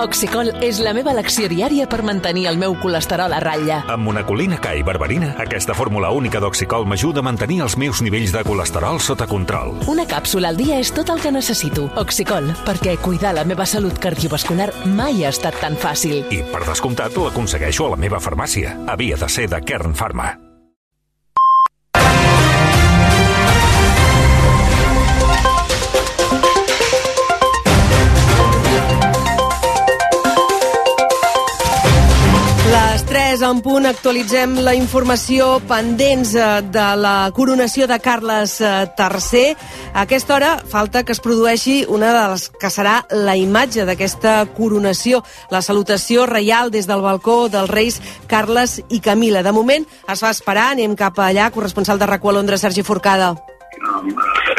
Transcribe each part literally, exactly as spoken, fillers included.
Oxicol és la meva elecció diària per mantenir el meu colesterol a ratlla. Amb monacolina K i berberina, aquesta fórmula única d'Oxicol m'ajuda a mantenir els meus nivells de colesterol sota control. Una càpsula al dia és tot el que necessito. Oxicol, perquè cuidar la meva salut cardiovascular mai ha estat tan fàcil. I, per descomptat, l'aconsegueixo a la meva farmàcia. Havia de ser de Kern Pharma. Les tres en punt actualitzem la informació pendents de la coronació de Carles tercer. A aquesta hora falta que es produeixi una de les que serà la imatge d'aquesta coronació, la salutació reial des del balcó dels reis Carles i Camila. De moment es fa esperar, anem cap allà, corresponsal de RAC u a Londres, Sergi Forcada.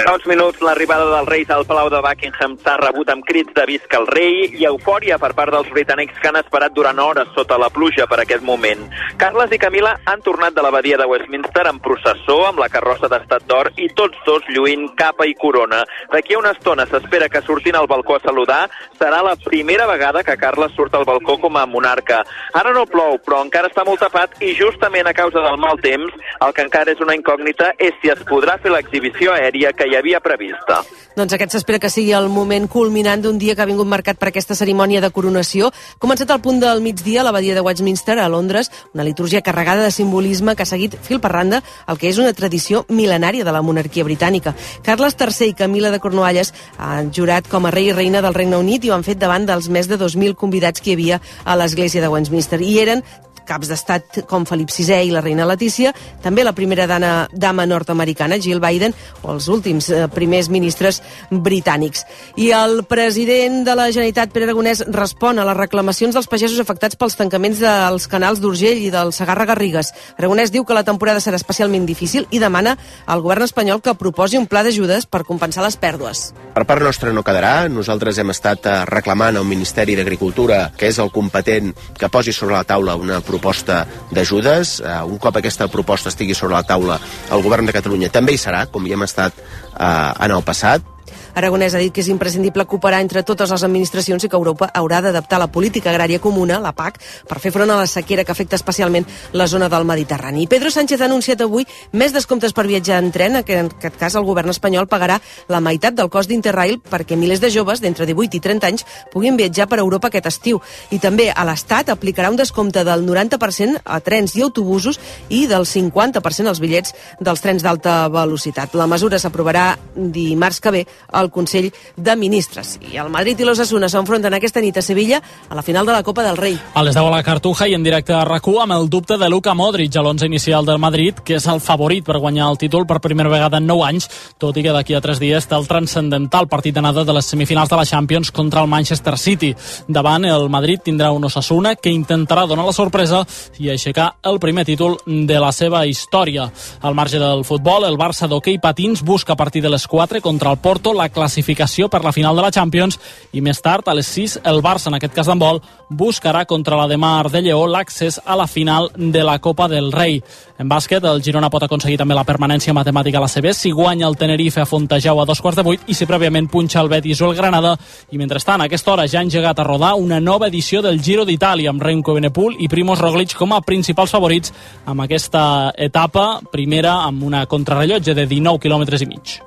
Fa uns minuts l'arribada dels Reis al Palau de Buckingham s'ha rebut amb crits de visca el rei i eufòria per part dels britànics que han esperat durant hores sota la pluja per aquest moment. Carles i Camila han tornat de l'abadia de Westminster en processó amb la carrossa d'estat d'or i tots dos lluint capa i corona. D'aquí a una estona s'espera que surtin al balcó a saludar. Serà la primera vegada que Carles surt al balcó com a monarca. Ara no plou, però encara està molt tapat i justament a causa del mal temps, el que encara és una incògnita és si es podrà fer l'exhibició aèria que hi havia prevista. Doncs aquest s'espera que sigui el moment culminant d'un dia que ha vingut marcat per aquesta cerimònia de coronació. Ha començat al punt del migdia a l'abadia de Westminster, a Londres, una litúrgia carregada de simbolisme que ha seguit fil per randa el que és una tradició mil·lenària de la monarquia britànica. Carles tercer i Camila de Cornualles han jurat com a rei i reina del Regne Unit i ho han fet davant dels més de dos mil convidats que hi havia a l'església de Westminster. I eren caps d'estat com Felip sisè i la reina Letícia, també la primera dama, dama nord-americana, Jill Biden, o els últims eh, primers ministres britànics. I el president de la Generalitat, Pere Aragonès, respon a les reclamacions dels pagesos afectats pels tancaments dels canals d'Urgell i del Segarra-Garrigues. Aragonès diu que la temporada serà especialment difícil i demana al govern espanyol que proposi un pla d'ajudes per compensar les pèrdues. Per part nostra no quedarà. Nosaltres hem estat reclamant al Ministeri d'Agricultura, que és el competent, que posi sobre la taula una proposta d'ajudes. Un cop aquesta proposta estigui sobre la taula, el govern de Catalunya també hi serà, com hi hem estat eh, en el passat. Aragonès ha dit que és imprescindible cooperar entre totes les administracions i que Europa haurà d'adaptar la política agrària comuna, la P A C, per fer front a la sequera que afecta especialment la zona del Mediterrani. I Pedro Sánchez ha anunciat avui més descomptes per viatjar en tren, que en aquest cas el govern espanyol pagarà la meitat del cost d'Interrail perquè milers de joves d'entre divuit i trenta anys puguin viatjar per Europa aquest estiu. I també a l'Estat aplicarà un descompte del noranta per cent a trens i autobusos i del cinquanta per cent als bitllets dels trens d'alta velocitat. La mesura s'aprovarà dimarts que ve al Consell de Ministres. I el Madrid i l'Osasuna s'enfronten aquesta nit a Sevilla a la final de la Copa del Rei. A les deu a la Cartuja i en directe a RAC u amb el dubte de Luka Modric a l'onze inicial del Madrid, que és el favorit per guanyar el títol per primera vegada en nou anys, tot i que d'aquí a tres dies té el transcendental partit d'anada de les semifinals de la Champions contra el Manchester City. Davant, el Madrid tindrà un Osasuna que intentarà donar la sorpresa i aixecar el primer títol de la seva història. Al marge del futbol, el Barça d'hoquei patins busca a partir de les quatre contra el Porto la classificació per la final de la Champions i més tard, a les sis, el Barça, en aquest cas d'handbol, buscarà contra la de Mar de Lleó l'accés a la final de la Copa del Rei. En bàsquet, el Girona pot aconseguir també la permanència matemàtica a la C B si guanya el Tenerife a Fontejau a dos quarts de vuit i si prèviament punxa el Betis o el Granada. I mentrestant, a aquesta hora ja han engegat a rodar una nova edició del Giro d'Itàlia amb Remco Evenepoel i Primož Roglic com a principals favorits amb aquesta etapa, primera amb una contrarrellotge de dinou quilòmetres i mig.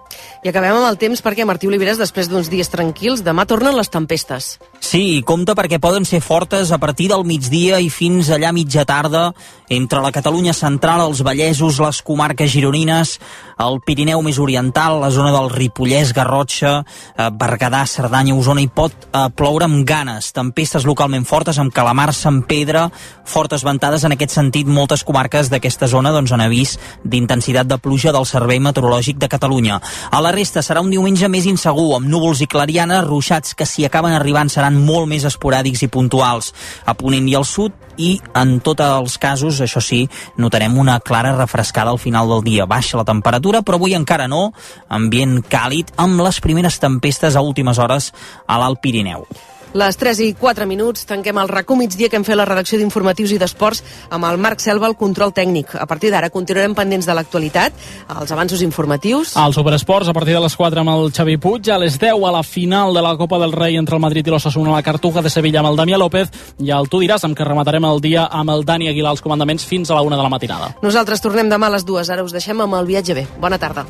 I acabem amb el temps perquè, Martí Oliveres, després d'uns dies tranquils, demà tornen les tempestes. Sí, compte perquè poden ser fortes a partir del migdia i fins allà mitja tarda entre la Catalunya central, els Vallesos, les comarques gironines, el Pirineu més oriental, la zona del Ripollès, Garrotxa, eh, Berguedà, Cerdanya, Osona, hi pot eh, ploure amb ganes. Tempestes localment fortes amb Calamar, Sant Pedre, fortes ventades en aquest sentit. Moltes comarques d'aquesta zona doncs, han avís d'intensitat de pluja del Servei Meteorològic de Catalunya. A la resta serà un diumenge més insegur, amb núvols i clarianes, ruixats que si acaben arribant seran molt més esporàdics i puntuals. A Ponent i al sud, i en tots els casos, això sí, notarem una clara refrescada al final del dia. Baixa la temperatura, però avui encara no. Ambient càlid, amb les primeres tempestes a últimes hores a l'Alt Pirineu. Les tres i quatre minuts, tanquem el RAC u migdia que hem fet la redacció d'informatius i d'esports amb el Marc Selva, el control tècnic. A partir d'ara continuarem pendents de l'actualitat, els avanços informatius. Al Superesports, a partir de les quatre amb el Xavi Puig, a les deu a la final de la Copa del Rei entre el Madrid i l'Osasuna a la Cartuja de Sevilla amb el Damià López, i el Tu diràs, amb què rematarem el dia amb el Dani Aguilar als comandaments fins a la una de la matinada. Nosaltres tornem demà a les dues, ara us deixem amb el viatge bé. Bona tarda.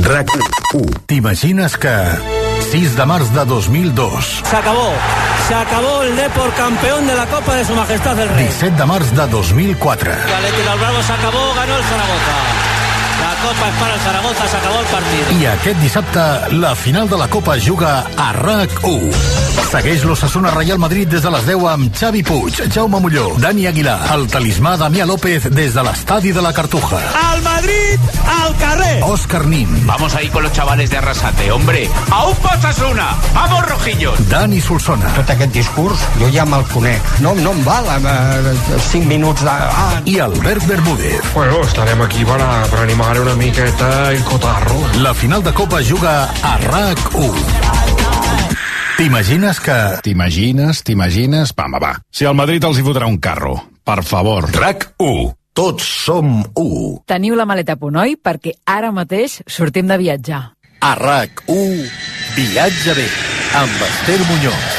RAC u. ¿T'imagines que sis de març de dos mil dos... Se acabó, se acabó el Depor campeón de la Copa de Su Majestad el Rey. disset de març de dos mil quatre... Athletic del Bravo se acabó, ganó el Zaragoza. La Copa es para el Zaragoza, se acabó el partit. I aquest dissabte, la final de la Copa es juga a RAC u. Segueix l'Osasuna Real Madrid des de les deu amb Xavi Puig, Jaume Molló, Dani Aguilar, el talismà Damià López des de l'estadi de la Cartuja. Al Madrid, al carrer. Òscar Nin. Vamos ahí con los chavales de Arrasate, hombre. ¡A un Osasuna! ¡Vamos, rojillos! Dani Solsona. Tot aquest discurs jo ja me'l conec. No, no em val eh, cinc minuts de... Ah. I Albert Bermúdez. Bueno, estarem aquí para, para animar una miqueta el cotarro. La final de Copa juga a RAC u. T'imagines que... T'imagines, t'imagines... Va, va, va. Si al Madrid els hi fotrà un carro. Per favor. RAC u. Tots som u. Teniu la maleta a punt, oi? Perquè ara mateix sortim de viatjar. A RAC u, Viatge bé, amb Esther Muñoz.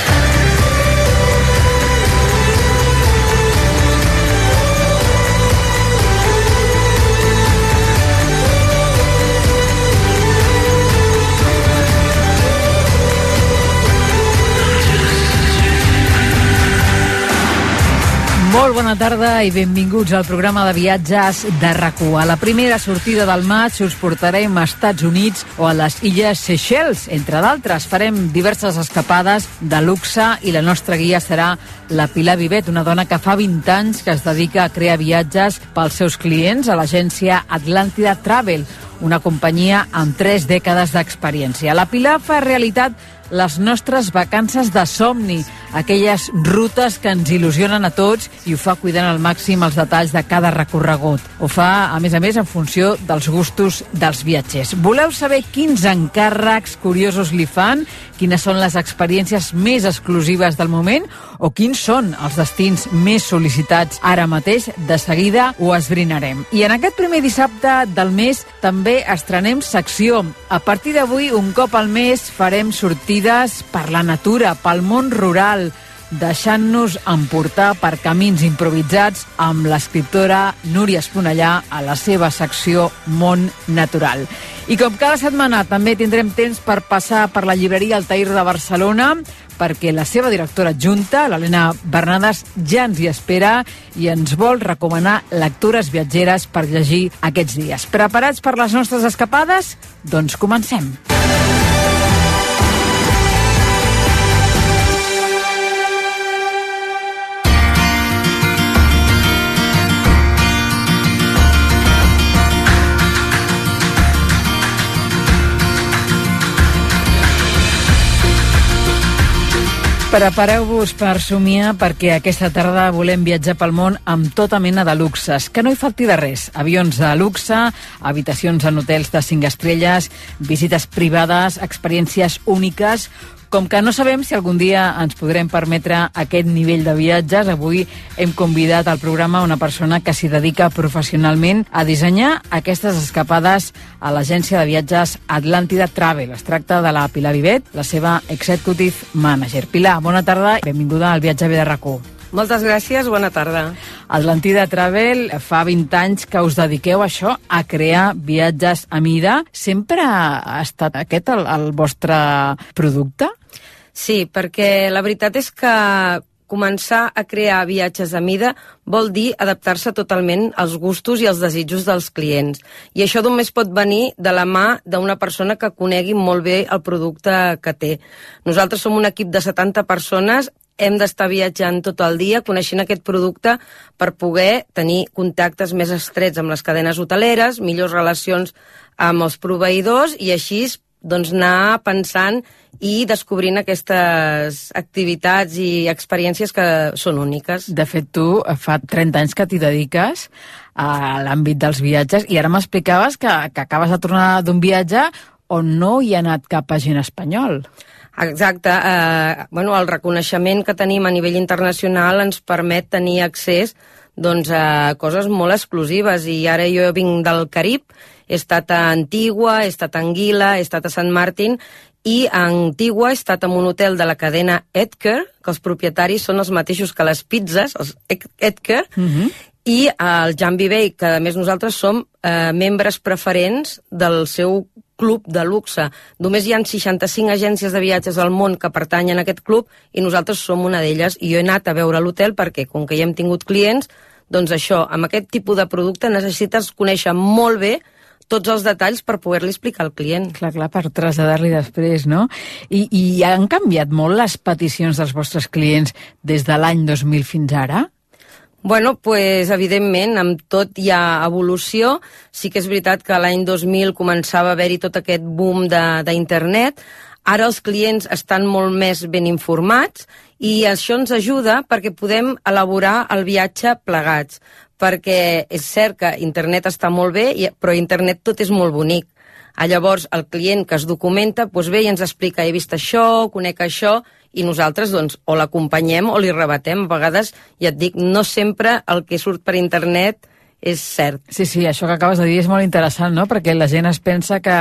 Molt bona tarda i benvinguts al programa de viatges de RAC u. A la primera sortida del maig us portarem a Estats Units o a les Illes Seychelles, entre d'altres. Farem diverses escapades de luxe i la nostra guia serà la Pilar Vivet, una dona que fa vint anys que es dedica a crear viatges pels seus clients a l'agència Atlàntida Travel, una companyia amb tres dècades d'experiència. La Pilar fa realitat les nostres vacances de somni, aquelles rutes que ens il·lusionen a tots, i ho fa cuidant al màxim els detalls de cada recorregut. Ho fa, a més a més, en funció dels gustos dels viatgers. Voleu saber quins encàrrecs curiosos li fan, quines són les experiències més exclusives del moment o quins són els destins més sol·licitats ara mateix? De seguida ho esbrinarem. I en aquest primer dissabte del mes també estrenem secció. A partir d'avui, un cop al mes, farem sortides per la natura, pel món rural, deixant-nos emportar per camins improvisats amb l'escriptora Núria Esponellà a la seva secció Món Natural. I com cada setmana també tindrem temps per passar per la llibreria Altair de Barcelona, perquè la seva directora adjunta, l'Helena Bernades, ja ens hi espera i ens vol recomanar lectures viatgeres per llegir aquests dies. Preparats per les nostres escapades? Doncs comencem. Prepareu-vos per somiar, perquè aquesta tarda volem viatjar pel món amb tota mena de luxes. Que no hi falti de res. Avions de luxe, habitacions en hotels de cinc estrelles, visites privades, experiències úniques. Com que no sabem si algun dia ens podrem permetre aquest nivell de viatges, avui hem convidat al programa una persona que s'hi dedica professionalment a dissenyar aquestes escapades a l'agència de viatges Atlàntida Travel. Es tracta de la Pilar Vivet, la seva Executive Manager. Pilar, bona tarda i benvinguda al Viatge bé de RAC u. Moltes gràcies, bona tarda. Atlàntida Travel, fa vint anys que us dediqueu a això, a crear viatges a mida. Sempre ha estat aquest el, el vostre producte? Sí, perquè la veritat és que començar a crear viatges a mida vol dir adaptar-se totalment als gustos i als desitjos dels clients. I això només pot venir de la mà d'una persona que conegui molt bé el producte que té. Nosaltres som un equip de setanta persones, hem d'estar viatjant tot el dia, coneixent aquest producte per poder tenir contactes més estrets amb les cadenes hoteleres, millors relacions amb els proveïdors i així doncs, anar pensant i descobrint aquestes activitats i experiències que són úniques. De fet, tu fa trenta anys que t'hi dediques a l'àmbit dels viatges i ara m'explicaves que, que acabes de tornar d'un viatge on no hi ha anat cap agent espanyol. Exacte. Eh, bueno, el reconeixement que tenim a nivell internacional ens permet tenir accés doncs, a coses molt exclusives, i ara jo vinc del Carib, he estat a Antigua, he estat a Anguila, he estat a Sant Martin, i a Antigua he estat en un hotel de la cadena Edgar, que els propietaris són els mateixos que les pizzas, els Edgar, uh-huh. i el Jambi Bay, que a més nosaltres som eh, membres preferents del seu club de luxe. Només hi ha seixanta-cinc agències de viatges al món que pertanyen a aquest club i nosaltres som una d'elles, i jo he anat a veure l'hotel perquè, com que ja hem tingut clients, doncs això, amb aquest tipus de producte necessites conèixer molt bé tots els detalls per poder-li explicar al client. Clar, clar, per traslladar-li després, no? I, I han canviat molt les peticions dels vostres clients des de l'any dos mil fins ara? Bueno, pues, evidentment, amb tot hi ha evolució. Sí que és veritat que l'any dos mil començava a haver-hi tot aquest boom d'internet. Ara els clients estan molt més ben informats i això ens ajuda perquè podem elaborar el viatge plegats. Perquè és cert que internet està molt bé, però internet tot és molt bonic. Llavors, el client que es documenta, doncs ve i ens explica, he vist això, conec això, i nosaltres doncs, o l'acompanyem o li rebatem. A vegades, ja et dic, no sempre el que surt per internet és cert. Sí, sí, això que acabes de dir és molt interessant, no? Perquè la gent es pensa que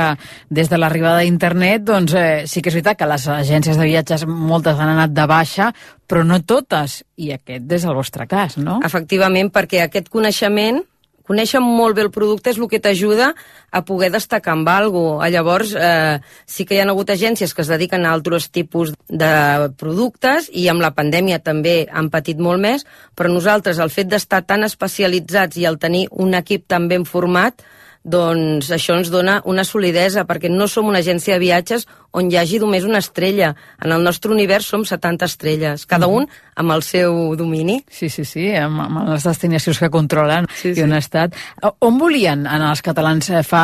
des de l'arribada d'internet, doncs eh, sí que és veritat que les agències de viatges moltes han anat de baixa, però no totes, i aquest és el vostre cas, no? Efectivament, perquè aquest coneixement, conèixer molt bé el producte és el que t'ajuda a poder destacar amb alguna cosa. Llavors, eh, sí que hi ha hagut agències que es dediquen a altres tipus de productes i amb la pandèmia també han patit molt més, però nosaltres, el fet d'estar tan especialitzats i el tenir un equip tan ben format, doncs això ens dona una solidesa, perquè no som una agència de viatges on hi hagi només una estrella. En el nostre univers som setanta estrelles, cada un amb el seu domini. Sí, sí, sí, amb, amb les destinacions que controlen sí, i on sí. ha estat. On volien anar els catalans fa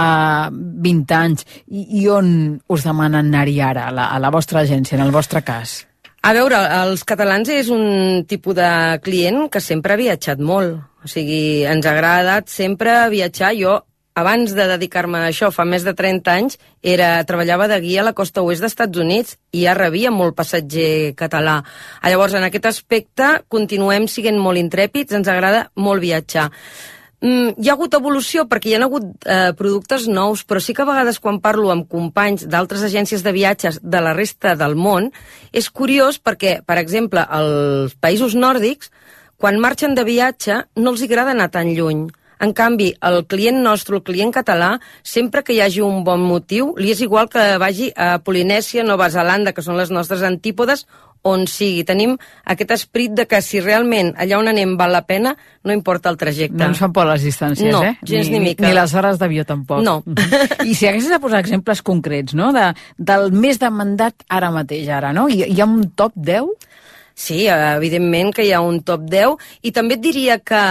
vint anys i, i on us demanen anar-hi ara, a la, a la vostra agència, en el vostre cas? A veure, els catalans és un tipus de client que sempre ha viatjat molt. O sigui, ens ha agradat sempre viatjar. Jo, abans de dedicar-me a això, fa més de trenta anys, era, treballava de guia a la costa oest dels Estats Units i ja rebia molt passatger català. Llavors, en aquest aspecte, continuem sent molt intrèpids, ens agrada molt viatjar. Mm, hi ha hagut evolució perquè hi ha hagut eh, productes nous, però sí que a vegades quan parlo amb companys d'altres agències de viatges de la resta del món, és curiós perquè, per exemple, als països nòrdics, quan marxen de viatge, no els agrada anar tan lluny. En canvi, el client nostre, el client català, sempre que hi hagi un bon motiu, li és igual que vagi a Polinèsia, Nova Zelanda, que són les nostres antípodes, on sigui. Tenim aquest esperit de que si realment allà on anem val la pena, no importa el trajecte. No ens fan por les distàncies, no, eh? gens ni, ni mica. Ni les hores d'avió tampoc. No. I si haguessis de posar exemples concrets, no?, de, del més demandat ara mateix, ara, no? Hi, hi ha un top deu? Sí, evidentment que hi ha un top deu, i també et diria que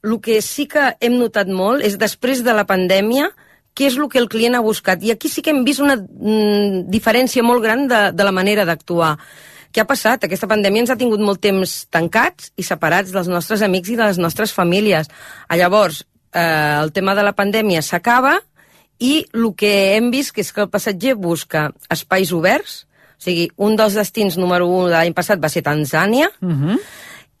el que sí que hem notat molt és després de la pandèmia què és el que el client ha buscat. I aquí sí que hem vist una mm, diferència molt gran de, de la manera d'actuar. Què ha passat? Aquesta pandèmia ens ha tingut molt temps tancats i separats dels nostres amics i de les nostres famílies. Llavors, eh, el tema de la pandèmia s'acaba i el que hem vist que és que el passatger busca espais oberts. O sigui, un dels destins número un de l'any passat va ser Tanzània, uh-huh.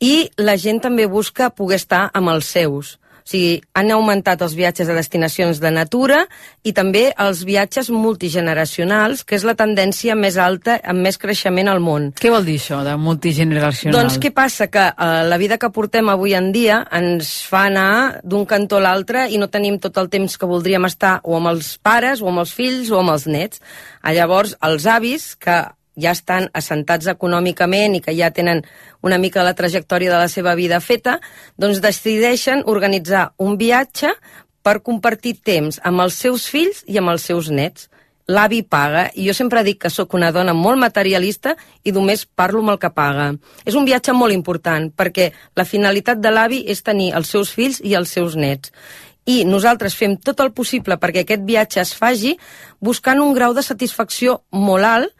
i la gent també busca poder estar amb els seus. O sigui, han augmentat els viatges a destinacions de natura i també els viatges multigeneracionals, que és la tendència més alta, amb més creixement al món. Què vol dir això, de multigeneracional? Doncs què passa? Que eh, la vida que portem avui en dia ens fa anar d'un cantó a l'altre i no tenim tot el temps que voldríem estar o amb els pares, o amb els fills, o amb els nets. Llavors, els avis, que ja estan assentats econòmicament i que ja tenen una mica la trajectòria de la seva vida feta, doncs decideixen organitzar un viatge per compartir temps amb els seus fills i amb els seus nets. L'avi paga, i jo sempre dic que sóc una dona molt materialista i només parlo amb el que paga. És un viatge molt important, perquè la finalitat de l'avi és tenir els seus fills i els seus nets. I nosaltres fem tot el possible perquè aquest viatge es faci buscant un grau de satisfacció molt alt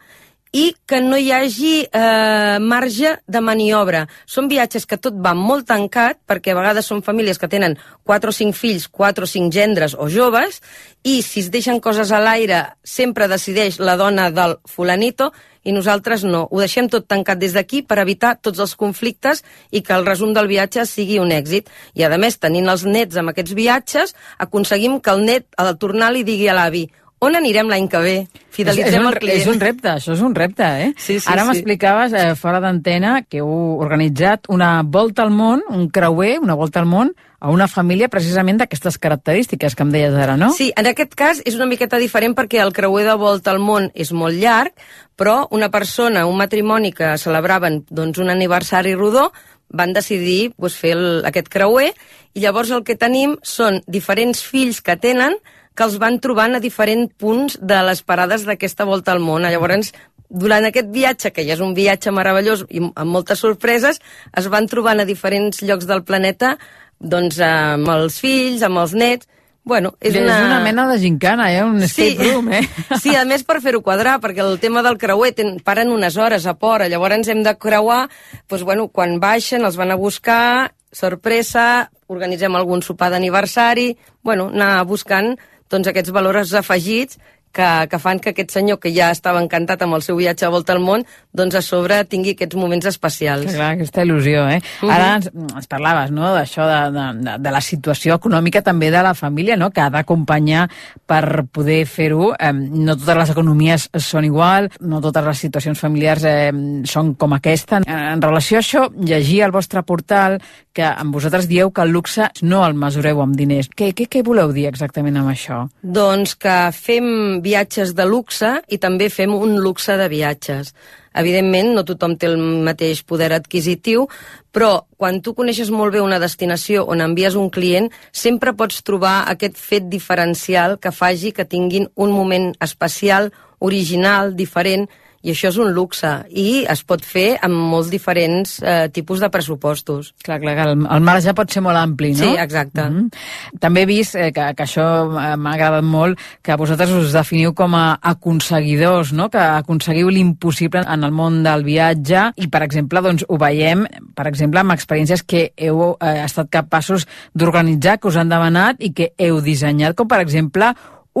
i que no hi hagi eh, marge de maniobra. Són viatges que tot va molt tancat, perquè a vegades són famílies que tenen quatre o cinc fills, quatre o cinc gendres o joves, i si es deixen coses a l'aire sempre decideix la dona del fulanito, i nosaltres no. Ho deixem tot tancat des d'aquí per evitar tots els conflictes i que el resum del viatge sigui un èxit. I a més, tenint els nets amb aquests viatges, aconseguim que el net, al tornar, li digui a l'avi: on anirem l'any que ve? Fidelitzem el client. És un repte, això és un repte, eh? Sí, sí, Ara sí. m'explicaves, eh, fora d'antena, que heu organitzat una volta al món, un creuer, una volta al món, a una família precisament d'aquestes característiques que em deies ara, no? Sí, en aquest cas és una miqueta diferent perquè el creuer de volta al món és molt llarg, però una persona, un matrimoni que celebraven doncs, un aniversari rodó, van decidir doncs, fer el, aquest creuer, i llavors el que tenim són diferents fills que tenen que els van trobant a diferents punts de les parades d'aquesta volta al món. Llavors, durant aquest viatge, que ja és un viatge meravellós i amb moltes sorpreses, es van trobant a diferents llocs del planeta, doncs amb els fills, amb els nets. Bueno, és, és una... una mena de gincana, eh? Un escape sí. room, eh? Sí, a més per fer-ho quadrar, perquè el tema del creuer ten, paren unes hores a Pora, llavors hem de creuar, doncs, bueno, quan baixen els van a buscar, sorpresa, organitzem algun sopar d'aniversari, bueno, anar buscant doncs, aquests valors afegits que, que fan que aquest senyor, que ja estava encantat amb el seu viatge a volta al món, doncs a sobre tingui aquests moments especials. Que clar, aquesta il·lusió, eh? Uh-huh. Ara ens, ens parlaves, no?, d'això, de, de, de la situació econòmica també de la família, no?, que ha d'acompanyar per poder fer-ho. Eh, no totes les economies són igual, no totes les situacions familiars eh, són com aquesta. En relació a això, llegir al vostre portal que amb vosaltres dieu que el luxe no el mesureu amb diners. Què, què, què voleu dir exactament amb això? Doncs que fem viatges de luxe i també fem un luxe de viatges. Evidentment, no tothom té el mateix poder adquisitiu, però quan tu coneixes molt bé una destinació on envies un client, sempre pots trobar aquest fet diferencial que faci que tinguin un moment especial, original, diferent, i això és un luxe, i es pot fer amb molts diferents eh, tipus de pressupostos. Clar, clar, el, el marge pot ser molt ampli, no? Sí, exacte. Mm-hmm. També he vist eh, que, que això m'ha agradat molt, que vosaltres us definiu com a aconseguidors, no?, que aconseguiu l'impossible en el món del viatge, i, per exemple, doncs, ho veiem, per exemple, amb experiències que heu eh, estat capaços d'organitzar, que us han demanat i que heu dissenyat, com, per exemple,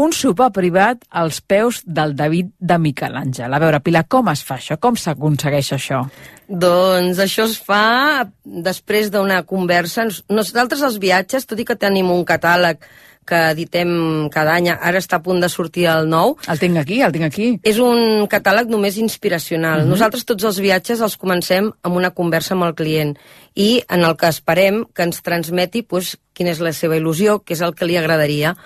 un sopar privat als peus del David de Miquel Àngel. A veure, Pilar, com es fa això? Com s'aconsegueix això? Doncs això es fa després d'una conversa. Nosaltres els viatges, tot i que tenim un catàleg que editem cada any, ara està a punt de sortir el nou. El tinc aquí, el tinc aquí. És un catàleg només inspiracional. Uh-huh. Nosaltres tots els viatges els comencem amb una conversa amb el client i en el que esperem que ens transmeti pues, quina és la seva il·lusió, què és el que li agradaria.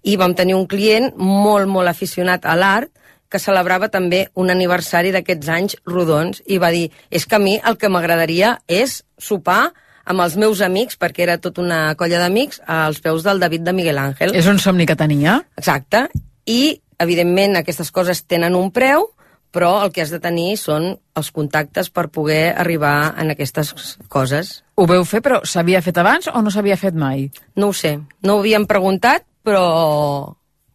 I vam tenir un client molt, molt aficionat a l'art que celebrava també un aniversari d'aquests anys rodons i va dir, és que a mi el que m'agradaria és sopar amb els meus amics, perquè era tota una colla d'amics, als peus del David de Miguel Ángel. És un somni que tenia. Exacte. I, evidentment, aquestes coses tenen un preu, però el que has de tenir són els contactes per poder arribar en aquestes coses. Ho veu fer, però s'havia fet abans o no s'havia fet mai? No ho sé. No ho havíem preguntat, però...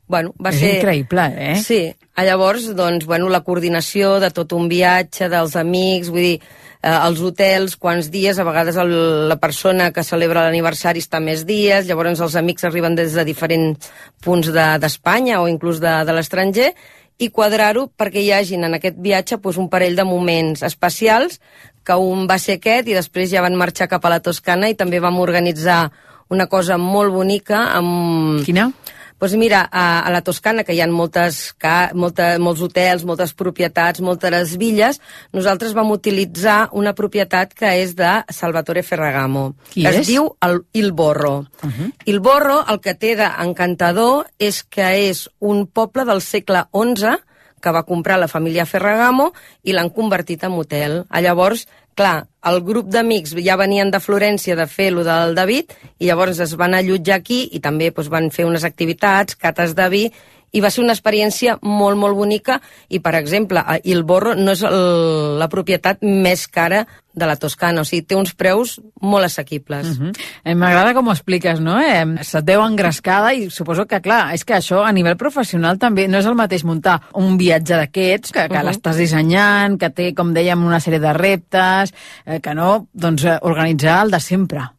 Bueno, va és ser... increïble, eh? Sí. Llavors, doncs, bueno, la coordinació de tot un viatge, dels amics, vull dir, eh, els hotels, quants dies, a vegades el, la persona que celebra l'aniversari està més dies, llavors els amics arriben des de diferents punts d'Espanya de, o inclús de, de l'estranger, i quadrar-ho perquè hi hagin en aquest viatge pues, un parell de moments especials, que un va ser aquest i després ja van marxar cap a la Toscana i també vam organitzar una cosa molt bonica amb... Quina? Doncs mira, a, a la Toscana, que hi ha moltes, ca, molta, molts hotels, moltes propietats, moltes villes, nosaltres vam utilitzar una propietat que és de Salvatore Ferragamo. Qui que és? Es diu el, Il Borro. Uh-huh. Il Borro, el que té d'encantador és que és un poble del segle onze que va comprar la família Ferragamo i l'han convertit en hotel. Llavors, clar, el grup d'amics ja venien de Florència de fer lo del David i llavors es van allotjar aquí i també doncs, van fer unes activitats, cates de vi i va ser una experiència molt, molt bonica, i, per exemple, Il Borro no és el, la propietat més cara de la Toscana, o sigui, té uns preus molt assequibles. Uh-huh. eh, M'agrada com ho expliques, no? Eh, se't veu engrescada i suposo que, clar, és que això a nivell professional també no és el mateix muntar un viatge d'aquests, que, que uh-huh. l'estàs dissenyant, que té, com dèiem, una sèrie de reptes, eh, que no, doncs, organitzar el de sempre.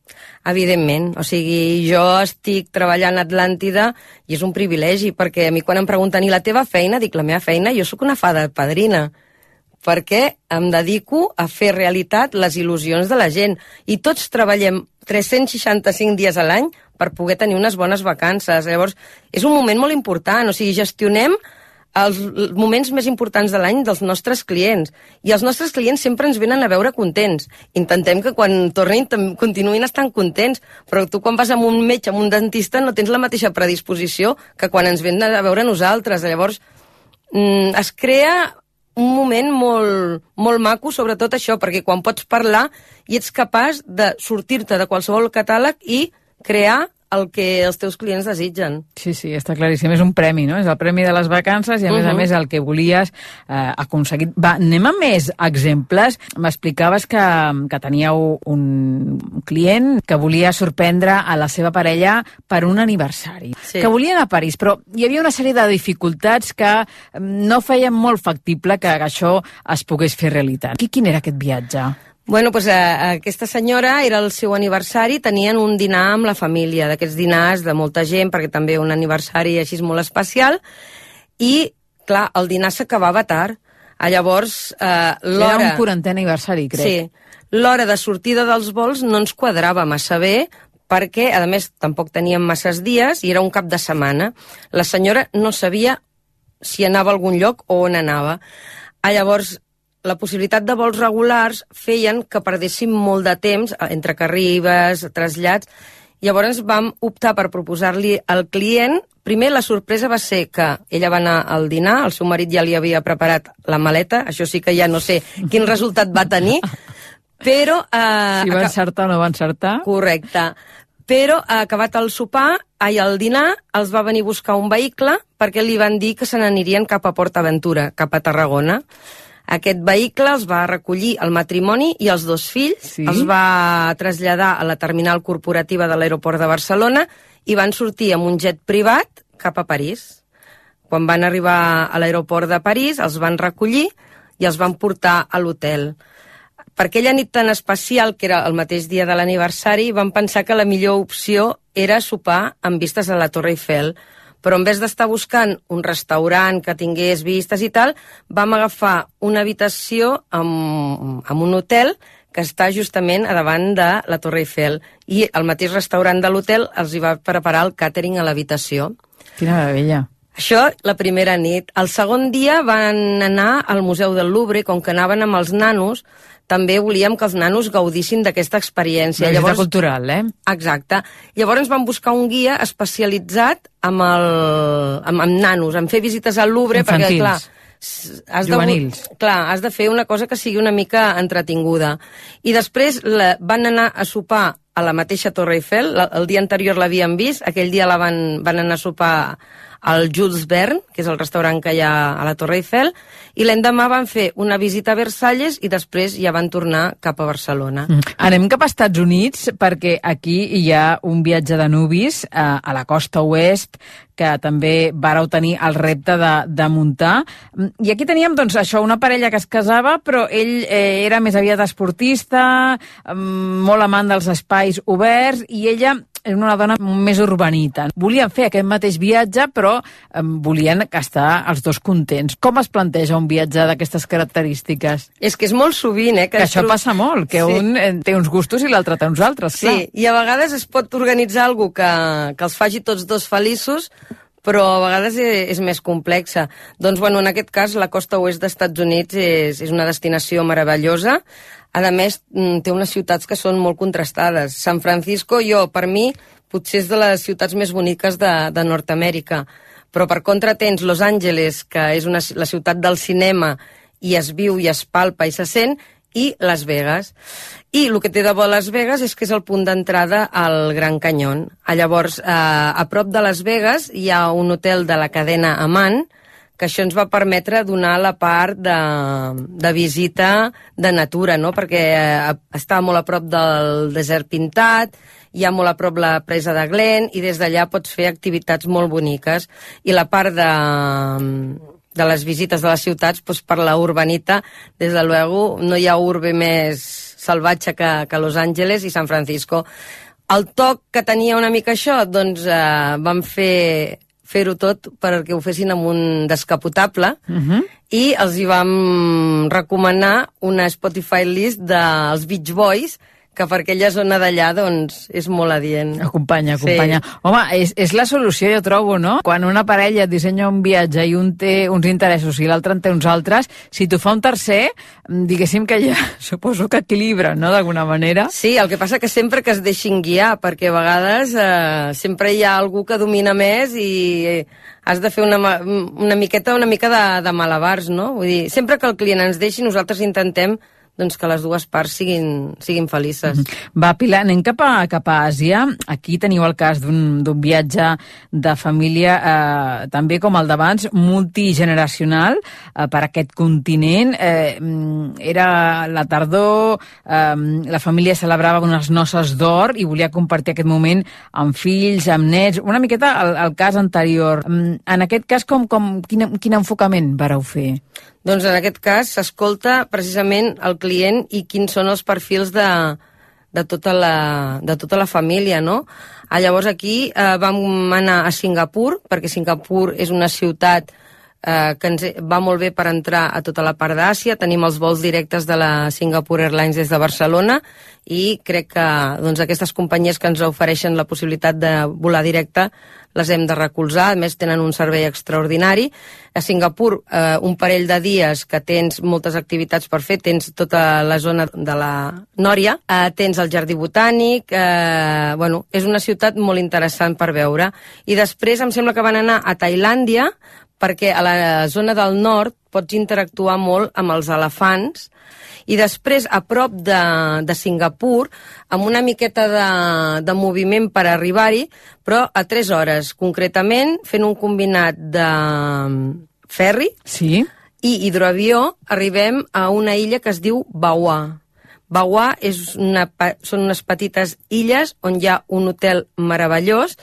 Evidentment, o sigui, jo estic treballant a Atlàntida i és un privilegi, perquè a mi quan em pregunten i la teva feina, dic, la meva feina, jo sóc una fada padrina, perquè em dedico a fer realitat les il·lusions de la gent. I tots treballem tres-cents seixanta-cinc dies a l'any per poder tenir unes bones vacances. Llavors, és un moment molt important, o sigui, gestionem els moments més importants de l'any dels nostres clients. I els nostres clients sempre ens venen a veure contents. Intentem que quan tornin continuïn estant contents, però tu quan vas amb un metge, amb un dentista, no tens la mateixa predisposició que quan ens venen a veure nosaltres. Llavors, es crea un moment molt, molt maco, sobretot això, perquè quan pots parlar i ets capaç de sortir-te de qualsevol catàleg i crear el que els teus clients desitgen. Sí, sí, està claríssim. És un premi, no? És el premi de les vacances i, a uh-huh. més a més, el que volies eh, aconseguir. Va, anem a més exemples. M'explicaves que, que teníeu un client que volia sorprendre a la seva parella per un aniversari. Sí. Que volia anar a París, però hi havia una sèrie de dificultats que no feien molt factible que això es pogués fer realitat. Quin era aquest viatge? Bueno, doncs, eh, aquesta senyora, era el seu aniversari, tenien un dinar amb la família, d'aquests dinars de molta gent, perquè també un aniversari així molt especial, i, clar, el dinar s'acabava tard. Ah, llavors, eh, l'hora... Era un quarantè aniversari, crec. Sí, l'hora de sortida dels vols no ens quadrava massa bé, perquè, a més, tampoc teníem masses dies, i era un cap de setmana. La senyora no sabia si anava a algun lloc o on anava. Ah, llavors, la possibilitat de vols regulars feien que perdéssim molt de temps entre que arribes, trasllats. Llavors vam optar per proposar-li al client. Primer, la sorpresa va ser que ella va anar al dinar, el seu marit ja li havia preparat la maleta, això sí que ja no sé quin resultat va tenir, però... Eh, si va encertar o no va encertar. Correcte. Però, acabat el sopar, ai, al dinar, els va venir a buscar un vehicle perquè li van dir que se n'anirien cap a Port Aventura, cap a Tarragona. Aquest vehicle els va recollir el matrimoni i els dos fills, sí? Els va traslladar a la terminal corporativa de l'aeroport de Barcelona i van sortir amb un jet privat cap a París. Quan van arribar a l'aeroport de París, els van recollir i els van portar a l'hotel. Per aquella nit tan especial, que era el mateix dia de l'aniversari, van pensar que la millor opció era sopar amb vistes a la Torre Eiffel. Però en vez d'estar buscant un restaurant que tingués vistes i tal, vam agafar una habitació amb, amb un hotel que està justament a davant de la Torre Eiffel. I el mateix restaurant de l'hotel els hi va preparar el càtering a l'habitació. Quina meravella. Això la primera nit. El segon dia van anar al Museu del Louvre, com que anaven amb els nanos, també volíem que els nanos gaudissin d'aquesta experiència. Una visita cultural, eh? Exacte. Llavors van buscar un guia especialitzat amb, el, amb, amb nanos, en fer visites al Louvre, infantils, perquè, clar, has juvenils. De, clar, has de fer una cosa que sigui una mica entretinguda. I després la, van anar a sopar a la mateixa Torre Eiffel, la, el dia anterior l'havien vist, aquell dia la van, van anar a sopar al Jules Verne, que és el restaurant que hi ha a la Torre Eiffel, i l'endemà van fer una visita a Versalles i després ja van tornar cap a Barcelona. Mm. Anem cap a Estats Units, perquè aquí hi ha un viatge de nuvis eh, a la costa oest, que també vareu tenir el repte de, de muntar. I aquí teníem, doncs, això, una parella que es casava, però ell eh, era més aviat esportista, eh, molt amant dels espais oberts, i ella era una dona més urbanita. Volien fer aquest mateix viatge, però eh, volien estar els dos contents. Com es planteja un viatge d'aquestes característiques? És que és molt sovint, eh? Que, que això trob... passa molt, que sí. Un eh, té uns gustos i l'altre té uns altres, clar. Sí, i a vegades es pot organitzar alguna que, que els faci tots dos feliços, però a vegades és, és més complexa. Doncs, bueno, en aquest cas, la costa oest dels Estats Units és, és una destinació meravellosa. A més, té unes ciutats que són molt contrastades. San Francisco, jo, per mi, potser és de les ciutats més boniques de, de Nord-Amèrica. Però, per contra, tens Los Angeles, que és una, la ciutat del cinema, i es viu i es palpa i se sent, i Las Vegas. I el que té de bo Las Vegas és que és el punt d'entrada al Gran Canyón. Llavors, eh, a prop de Las Vegas hi ha un hotel de la cadena Amman, que això ens va permetre donar la part de, de visita de natura, no? Perquè eh, està molt a prop del desert pintat, hi ha molt a prop la presa de Glen, i des d'allà pots fer activitats molt boniques. I la part de, de les visites de les ciutats, doncs per la urbanita, des de luego, no hi ha urbe més salvatge que, que Los Angeles i San Francisco. El toc que tenia una mica això, doncs eh, vam fer fer-ho tot perquè ho fessin amb un descapotable, uh-huh. i els hi vam recomanar una Spotify list dels Beach Boys, que per aquella zona d'allà, doncs, és molt adient. Acompanya, acompanya. Sí. Home, és, és la solució, jo trobo, no? Quan una parella dissenya un viatge i un té uns interessos i l'altre en té uns altres, si t'ho fa un tercer, diguéssim que ja suposo que equilibra, no?, d'alguna manera. Sí, el que passa que sempre que es deixin guiar, perquè a vegades eh, sempre hi ha algú que domina més i has de fer una, una miqueta, una mica de, de malabars, no? Vull dir, sempre que el client ens deixi, nosaltres intentem doncs que les dues parts siguin, siguin felices. Va, Pilar, anem cap a, cap a Àsia. Aquí teniu el cas d'un viatge de família, eh, també com el d'abans, multigeneracional eh, per aquest continent. Eh, era la tardor, eh, la família celebrava unes noces d'or i volia compartir aquest moment amb fills, amb nets, una miqueta el, el cas anterior. En aquest cas, com, com, quin, quin enfocament vareu fer? Doncs en aquest cas s'escolta precisament el client i quins són els perfils de, de, tota, la, de tota la família, no? Ah, llavors aquí eh, vam anar a Singapur, perquè Singapur és una ciutat eh, que ens va molt bé per entrar a tota la part d'Àsia. Tenim els vols directes de la Singapore Airlines des de Barcelona i crec que doncs, aquestes companyies que ens ofereixen la possibilitat de volar directe les hem de recolzar, a més tenen un servei extraordinari. A Singapur, eh, un parell de dies que tens moltes activitats per fer, tens tota la zona de la Nòria, eh, tens el jardí botànic, eh, bueno, és una ciutat molt interessant per veure. I després em sembla que van anar a Tailàndia, perquè a la zona del nord pots interactuar molt amb els elefants, i després, a prop de, de Singapur, amb una miqueta de, de moviment per arribar-hi, però a tres hores, concretament, fent un combinat de ferri sí. i hidroavió, arribem a una illa que es diu Bawa. Bawa és una, són unes petites illes on hi ha un hotel meravellós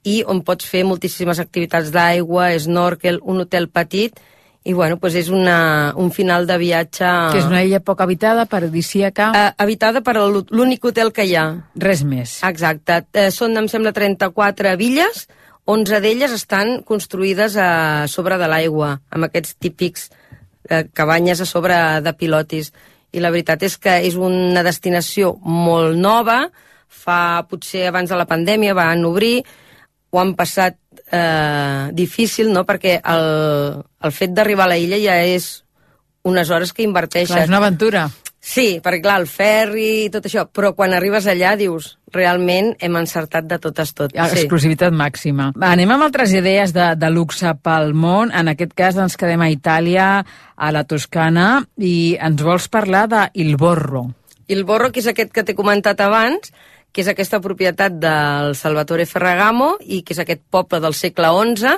i on pots fer moltíssimes activitats d'aigua, snorkel, un hotel petit. I, bueno, doncs és una, un final de viatge... Que és una illa poc habitada, paradisíaca... Uh, habitada per l'únic hotel que hi ha. Res més. Exacte. Uh, són, em sembla, trenta-quatre villes, onze d'elles estan construïdes a sobre de l'aigua, amb aquests típics uh, cabanyes a sobre de pilotis. I la veritat és que és una destinació molt nova, fa potser abans de la pandèmia van obrir, ho han passat eh, difícil, no?, perquè el, el fet d'arribar a la illa ja és unes hores que inverteixes. Clar, és una aventura. Sí, perquè clar, el ferri i tot això, però quan arribes allà dius, realment hem encertat de totes tot. Exclusivitat sí. màxima. Anem amb altres idees de, de luxe pel món. En aquest cas ens quedem a Itàlia, a la Toscana, i ens vols parlar de Il Borro. Il Borro, que és aquest que t'he comentat abans, que és aquesta propietat del Salvatore Ferragamo i que és aquest poble del segle onze,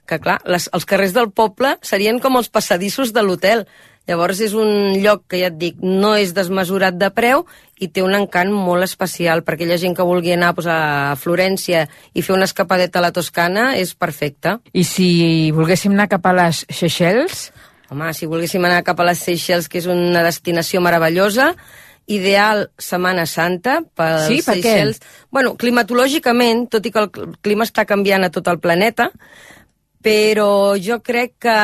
que clar, les, els carrers del poble serien com els passadissos de l'hotel. Llavors és un lloc que, ja et dic, no és desmesurat de preu i té un encant molt especial per aquella gent que vulgui anar pues, a Florència i fer una escapadeta a la Toscana, és perfecte. I si volguéssim anar cap a les Seychelles? Home, si volguéssim anar cap a les Seychelles, que és una destinació meravellosa, ideal Setmana Santa pels sí, per Seychelles. Què? Bueno, climatològicament, tot i que el clima està canviant a tot el planeta, però jo crec que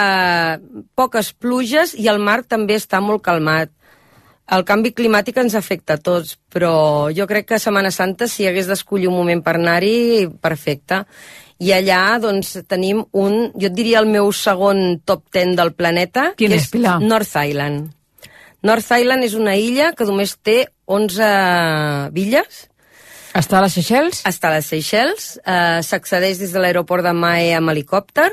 poques pluges i el mar també està molt calmat. El canvi climàtic ens afecta a tots, però jo crec que a Setmana Santa, si hagués d'escollir un moment per anar-hi, perfecte. I allà, doncs, tenim un, jo et diria el meu segon top ten del planeta, Quin que és, Pilar? North Island. North Island és una illa que només té onze villes. Està a les Seychelles? Està a les Seychelles. Uh, S'accedeix des de l'aeroport de Mahé amb helicòpter,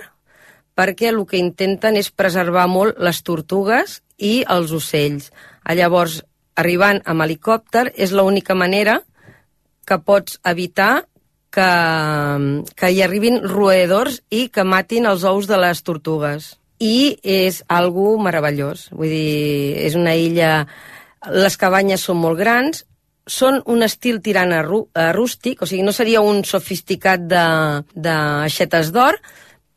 perquè el que intenten és preservar molt les tortugues i els ocells. Uh, llavors, arribant amb helicòpter és l'única manera que pots evitar que, que hi arribin roedors i que matin els ous de les tortugues. I és algo meravellós. Vull dir, és una illa... Les cabanyes són molt grans, són un estil tirant a, rú, a rústic, o sigui, no seria un sofisticat de, de aixetes d'or,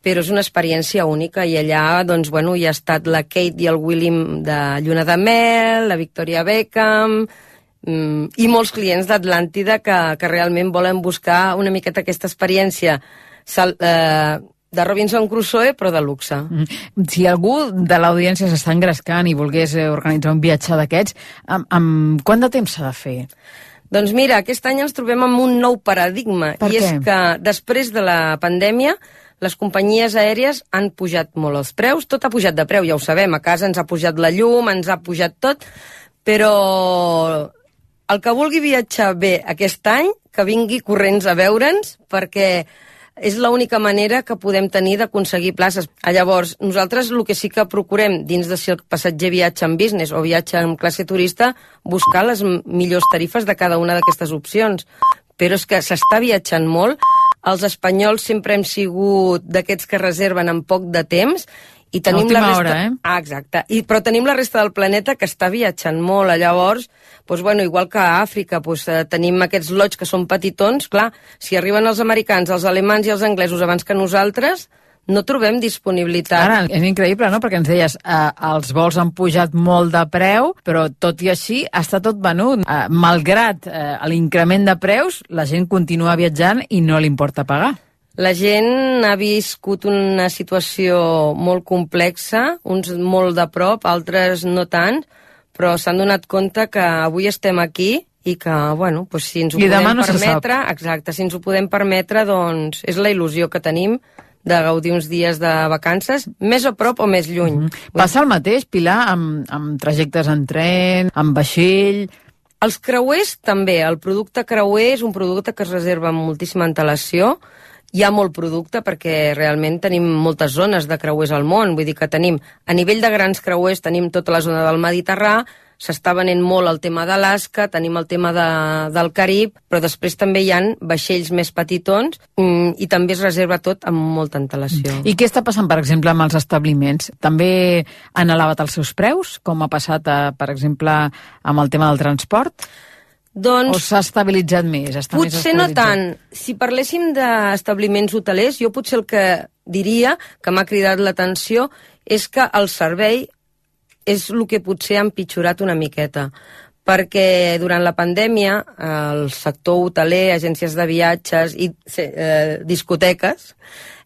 però és una experiència única, i allà doncs, bueno, hi ha estat la Kate i el William de Lluna de Mel, la Victoria Beckham, mmm, i molts clients d'Atlàntida que, que realment volen buscar una miqueta aquesta experiència sal, eh, de Robinson Crusoe, però de luxe. Si algú de l'audiència s'està engrescant i volgués organitzar un viatge d'aquests, amb, amb quant de temps s'ha de fer? Doncs mira, aquest any ens trobem amb un nou paradigma, per i què? És que després de la pandèmia les companyies aèries han pujat molt els preus, tot ha pujat de preu, ja ho sabem, a casa ens ha pujat la llum, ens ha pujat tot, però el que vulgui viatjar bé aquest any, que vingui corrents a veure'ns, perquè és l'única manera que podem tenir d'aconseguir places. Llavors, nosaltres el que sí que procurem, dins de si el passatger viatja en business o viatja en classe turista, buscar les millors tarifes de cada una d'aquestes opcions. Però és que s'està viatjant molt, els espanyols sempre hem sigut d'aquests que reserven en poc de temps, i tenim la resta... hora, eh? Ah, exacte. I, però tenim la resta del planeta que està viatjant molt. Llavors, doncs, bueno, igual que a Àfrica, doncs, eh, tenim aquests lots que són petitons. Clar, si arriben els americans, els alemans i els anglesos abans que nosaltres, no trobem disponibilitat. Ara, és increïble, no?, perquè ens deies, eh, els vols han pujat molt de preu, però tot i així està tot venut. Eh, malgrat eh, l'increment de preus, la gent continua viatjant i no li importa pagar. La gent ha viscut una situació molt complexa, uns molt de prop, altres no tant, però s'han donat compte que avui estem aquí i que, bueno, doncs si ens ho I podem no permetre, exacte, si ens ho podem permetre, doncs és la il·lusió que tenim de gaudir uns dies de vacances, més a prop o més lluny. Mm-hmm. Passa el mateix, Pilar, amb, amb trajectes en tren, amb vaixell... Els creuers també. El producte creuer és un producte que es reserva amb moltíssima antelació. Hi ha molt producte perquè realment tenim moltes zones de creuers al món, vull dir que tenim, a nivell de grans creuers tenim tota la zona del Mediterrà, s'està venent molt el tema d'Alaska, tenim el tema de, del Carib, però després també hi ha vaixells més petitons mm, i també es reserva tot amb molta antelació. I què està passant, per exemple, amb els establiments? També han elevat els seus preus, com ha passat, a, per exemple, amb el tema del transport? Doncs, o s'ha estabilitzat més? Està potser més no tant. Si parléssim d'establiments hotelers, jo potser el que diria, que m'ha cridat l'atenció, és que el servei és el que potser ha empitjorat una miqueta. Perquè durant la pandèmia el sector hoteler, agències de viatges i eh, discoteques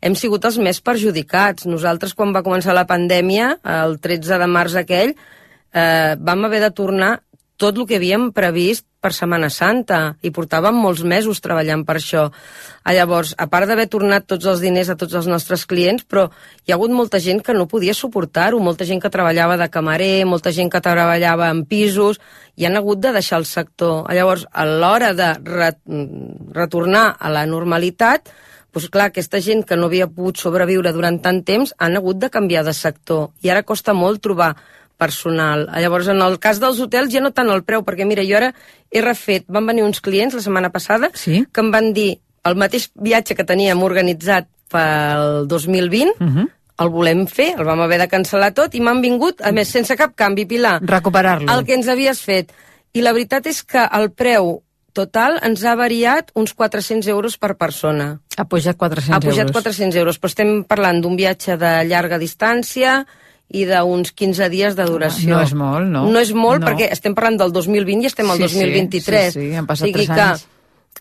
hem sigut els més perjudicats. Nosaltres, quan va començar la pandèmia, el tretze de març aquell, eh, vam haver de tornar tot el que havíem previst per Setmana Santa, i portàvem molts mesos treballant per això. Llavors, a part d'haver tornat tots els diners a tots els nostres clients, però hi ha hagut molta gent que no podia suportar-ho, molta gent que treballava de camarer, molta gent que treballava en pisos, i han hagut de deixar el sector. Llavors, a l'hora de re retornar a la normalitat, doncs clar, aquesta gent que no havia pogut sobreviure durant tant temps han hagut de canviar de sector, i ara costa molt trobar personal. Llavors, en el cas dels hotels, ja no tant el preu, perquè mira, jo ara he refet, van venir uns clients la setmana passada, sí? que em van dir el mateix viatge que teníem organitzat pel dos mil vint, uh -huh. el volem fer, el vam haver de cancel·lar tot, i m'han vingut, a més, sense cap canvi, Pilar. Recuperar-lo. El que ens havies fet. I la veritat és que el preu total ens ha variat uns quatre-cents euros per persona. Ha pujat quatre-cents euros. Ha pujat quatre-cents euros, però estem parlant d'un viatge de llarga distància i d'uns quinze dies de duració. No és molt, no? No és molt, no. perquè estem parlant del dos mil vint i estem al sí, dos mil vint-i-tres. Sí, sí, han passat o sigui tres que anys.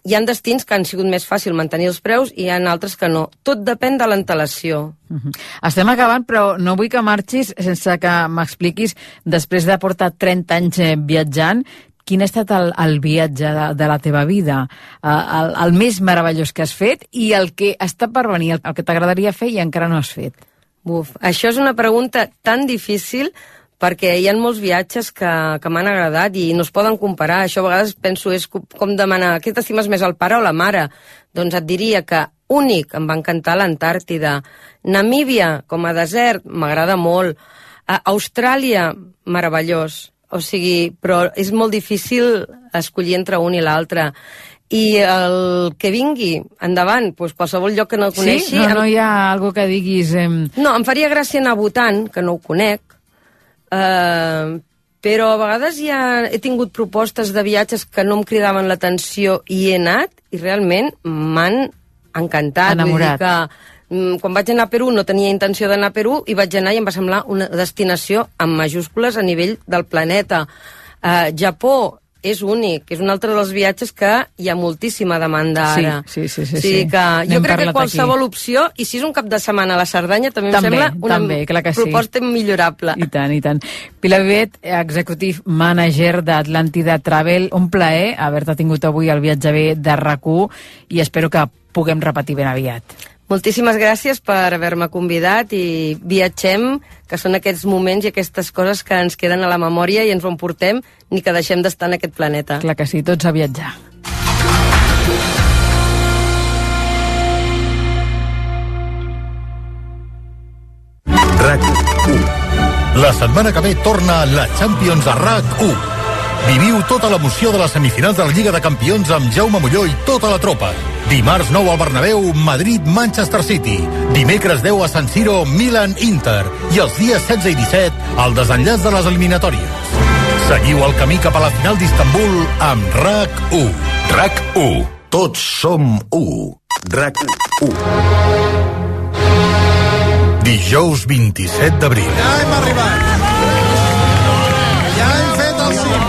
hi ha destins que han sigut més fàcil mantenir els preus i hi ha altres que no. Tot depèn de l'antelació. Uh-huh. Estem acabant, però no vull que marxis sense que m'expliquis, després de portar trenta anys viatjant, quin ha estat el, el viatge de, de la teva vida, el, el més meravellós que has fet i el que està per venir, el, el que t'agradaria fer i encara no has fet. Buf, això és una pregunta tan difícil perquè hi ha molts viatges que, que m'han agradat i no es poden comparar. Això a vegades penso és com demanar què t'estimes més, el pare o la mare? Doncs et diria que únic, em va encantar l'Antàrtida. Namíbia, com a desert, m'agrada molt. A Austràlia, meravellós. o sigui, però és molt difícil escollir entre un i l'altre. I el que vingui endavant, doncs qualsevol lloc que no el coneixi... Sí? No, no hi ha algo que diguis... Eh... No, em faria gràcia anar votant, que no ho conec, eh, però a vegades ja he tingut propostes de viatges que no em cridaven l'atenció i he anat, i realment m'han encantat. Enamorat. Vull dir que quan vaig anar a Perú no tenia intenció d'anar a Perú i vaig anar i em va semblar una destinació amb majúscules a nivell del planeta. Uh, Japó és únic, és un altre dels viatges que hi ha moltíssima demanda ara. Sí, sí, sí. sí, sí. Que jo crec que qualsevol aquí. opció, i si és un cap de setmana a la Cerdanya, també, també em sembla una també, clar que sí. proposta millorable. I tant, i tant. Pilar Vivet, executive manager d'Atlàntida Travel, un plaer haver-te tingut avui al Viatge B de RAC u i espero que puguem repetir ben aviat. Moltíssimes gràcies per haver-me convidat i viatgem, que són aquests moments i aquestes coses que ens queden a la memòria i ens ho emportem ni que deixem d'estar en aquest planeta. Clar que sí, tots a viatjar. RAC u. La setmana que ve torna la Champions a RAC u. Viviu tota l'emoció de les semifinals de la Lliga de Campions amb Jaume Molló i tota la tropa. Dimarts nou al Bernabéu, Madrid-Manchester City. Dimecres deu a San Siro, Milan-Inter. I els dies setze i disset, el desenllaç de les eliminatòries. Seguiu el camí cap a la final d'Istanbul amb RAC u. RAC u. Tots som u. RAC u. Dijous vint-i-set d'abril. Ja hem arribat. Ja hem fet el cim.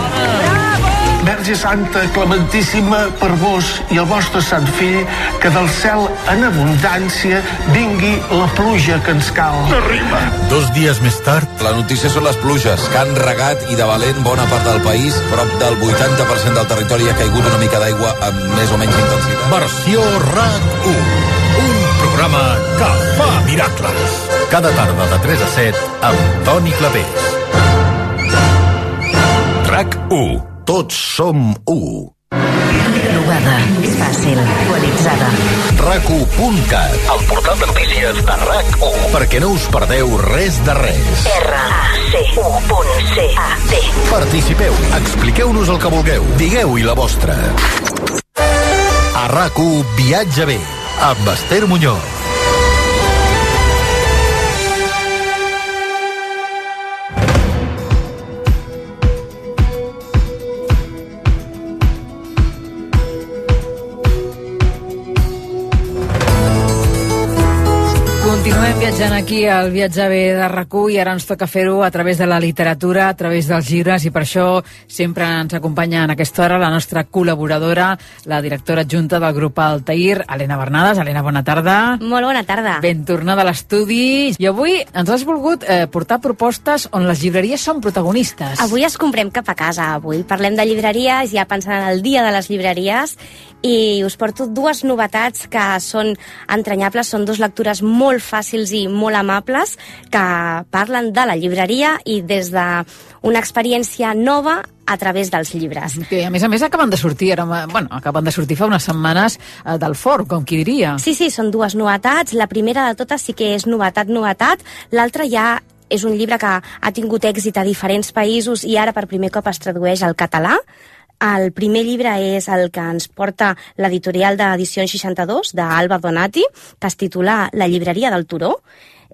Verge Santa, clementíssima, per vos i el vostre sant fill, que del cel en abundància vingui la pluja que ens cal. Arriba. Dos dies més tard... La notícia són les pluges, que han regat i de valent bona part del país. Prop del vuitanta per cent del territori ha caigut una mica d'aigua amb més o menys intensitat. Versió RAC u. Un programa que fa miracles. Cada tarda de tres a set amb Toni Clapés. RAC u. Tots som u. Provada, fàcil, actualitzada. RAC u punt cat, el portal de notícies de RAC u, perquè no us perdeu res de res. R A C U punt C A T. Participeu, expliqueu-nos el que vulgueu, digueu-hi la vostra. A RAC u Viatge B, amb Esther Muñoz. Continuem viatjant aquí al Viatge B de RAC u i ara ens toca fer-ho a través de la literatura, a través dels llibres, i per això sempre ens acompanya en aquesta hora la nostra col·laboradora, la directora adjunta del grup Altair, Helena Bernades. Helena, bona tarda. Molt bona tarda. Ben tornada a l'estudi. I avui ens has volgut eh, portar propostes on les llibreries són protagonistes. Avui es comprem cap a casa. Avui parlem de llibreries, ja pensant en el dia de les llibreries, i us porto dues novetats que són entranyables, són dues lectures molt fàcils i molt amables que parlen de la llibreria i des d'una experiència nova a través dels llibres. Que a més a més acaben de sortir, ara, bueno, acaben de sortir fa unes setmanes eh, del forn, com qui diria. Sí, sí, són dues novetats. La primera de totes sí que és novetat, novetat. L'altra ja és un llibre que ha tingut èxit a diferents països i ara per primer cop es tradueix al català. El primer llibre és el que ens porta l'editorial d'Edicions seixanta-dos, d'Alba Donati, que es titula La llibreria del Turó.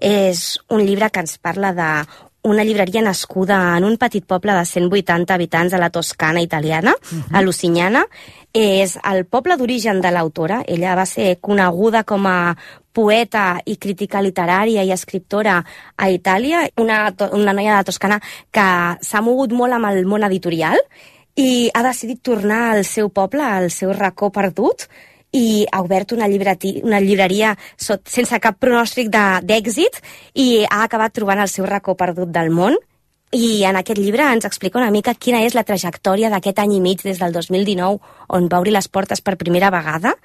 És un llibre que ens parla d'una llibreria nascuda en un petit poble de cent vuitanta habitants a la Toscana italiana, uh-huh. a Lusignana. És el poble d'origen de l'autora. Ella va ser coneguda com a poeta i crítica literària i escriptora a Itàlia, una, una noia de la Toscana que s'ha mogut molt amb el món editorial i ha decidit tornar al seu poble, al seu racó perdut, i ha obert una, una llibreria sot, sense cap pronòstic d'èxit i ha acabat trobant el seu racó perdut del món. I en aquest llibre ens explica una mica quina és la trajectòria d'aquest any i mig des del dos mil dinou, on va obrir les portes per primera vegada,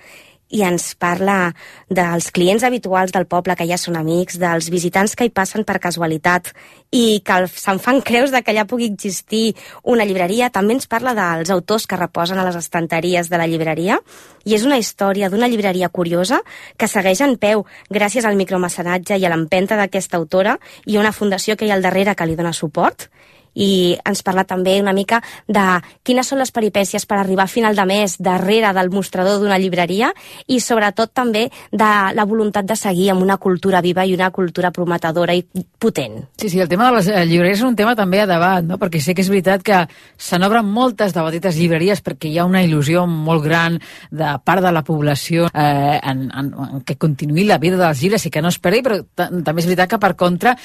i ens parla dels clients habituals del poble, que ja són amics, dels visitants que hi passen per casualitat i que se'n fan creus de que allà pugui existir una llibreria. També ens parla dels autors que reposen a les estanteries de la llibreria, i és una història d'una llibreria curiosa que segueix en peu gràcies al micromecenatge i a l'empenta d'aquesta autora i una fundació que hi ha al darrere que li dona suport. i ens parla també una mica de quines són les peripècies per arribar a final de mes darrere del mostrador d'una llibreria i sobretot també de la voluntat de seguir amb una cultura viva i una cultura prometedora i potent. Sí, sí, el tema de les llibreries és un tema també a debat, no? Perquè sé que és veritat que se n'obren moltes de petites llibreries perquè hi ha una il·lusió molt gran de part de la població eh, en, en, en que continuï la vida dels llibres i que no es perdi, però també és veritat que per contra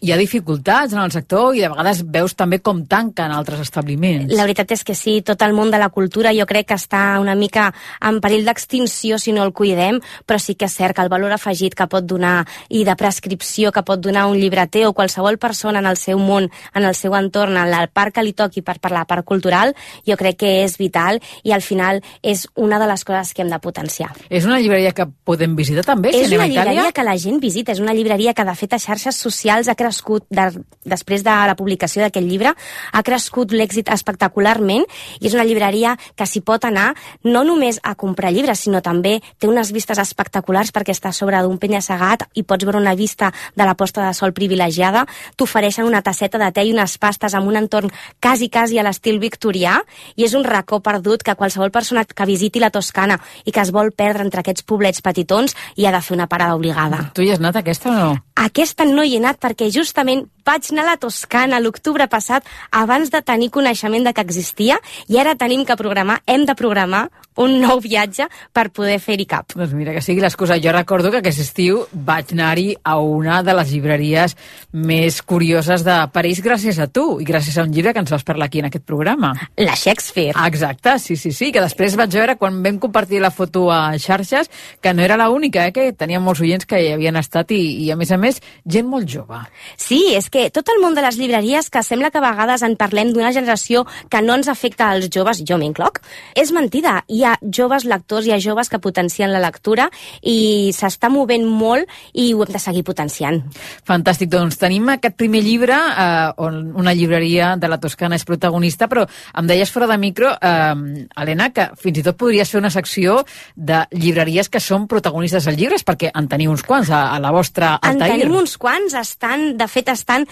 hi ha dificultats en el sector i de vegades veus també com tanquen altres establiments. La veritat és que sí, tot el món de la cultura jo crec que està una mica en perill d'extinció si no el cuidem, però sí que és cert que el valor afegit que pot donar i de prescripció que pot donar un llibreter o qualsevol persona en el seu món, en el seu entorn, en la part que li toqui per, per la part cultural, jo crec que és vital i al final és una de les coses que hem de potenciar. És una llibreria que podem visitar també? És si una anem a Itàlia? llibreria que la gent visita, és una llibreria que de fet a xarxes socials ha crescut, de, després de la publicació d'aquest llibre, ha crescut l'èxit espectacularment i és una llibreria que s'hi pot anar no només a comprar llibres, sinó també té unes vistes espectaculars perquè està sobre d'un penya-segat i pots veure una vista de la posta de sol privilegiada, t'ofereixen una tasseta de te i unes pastes amb un entorn quasi, quasi a l'estil victorià i és un racó perdut que qualsevol persona que visiti la Toscana i que es vol perdre entre aquests poblets petitons hi ha de fer una parada obligada. Tu hi has anat aquesta o no? Aquesta no hi he anat perquè justament vaig anar a la Toscana l'octubre passat abans de tenir coneixement de que existia i ara tenim que programar, hem de programar un nou viatge per poder fer-hi cap. Doncs mira, que sigui l'excusa. Jo recordo que aquest estiu vaig anar-hi a una de les llibreries més curioses de París gràcies a tu i gràcies a un llibre que ens vas parlar aquí en aquest programa. La Shakespeare. Exacte, sí, sí, sí, que després vaig veure quan vam compartir la foto a xarxes que no era l'única, eh, que tenia molts oients que hi havien estat i, i a més a més gent molt jove. Sí, és que tot el món de les llibreries que sembla que a vegades en parlem d'una generació que no ens afecta als joves, jo m'incloc, és mentida. Hi ha joves lectors, hi ha joves que potencien la lectura i s'està movent molt i ho hem de seguir potenciant. Fantàstic, doncs tenim aquest primer llibre eh, on una llibreria de la Toscana és protagonista, però em deies fora de micro, eh, Helena, que fins i tot podries fer una secció de llibreries que són protagonistes dels llibres, perquè en teniu uns quants a, a la vostra Altair. En tenim uns quants, estan, de fet estan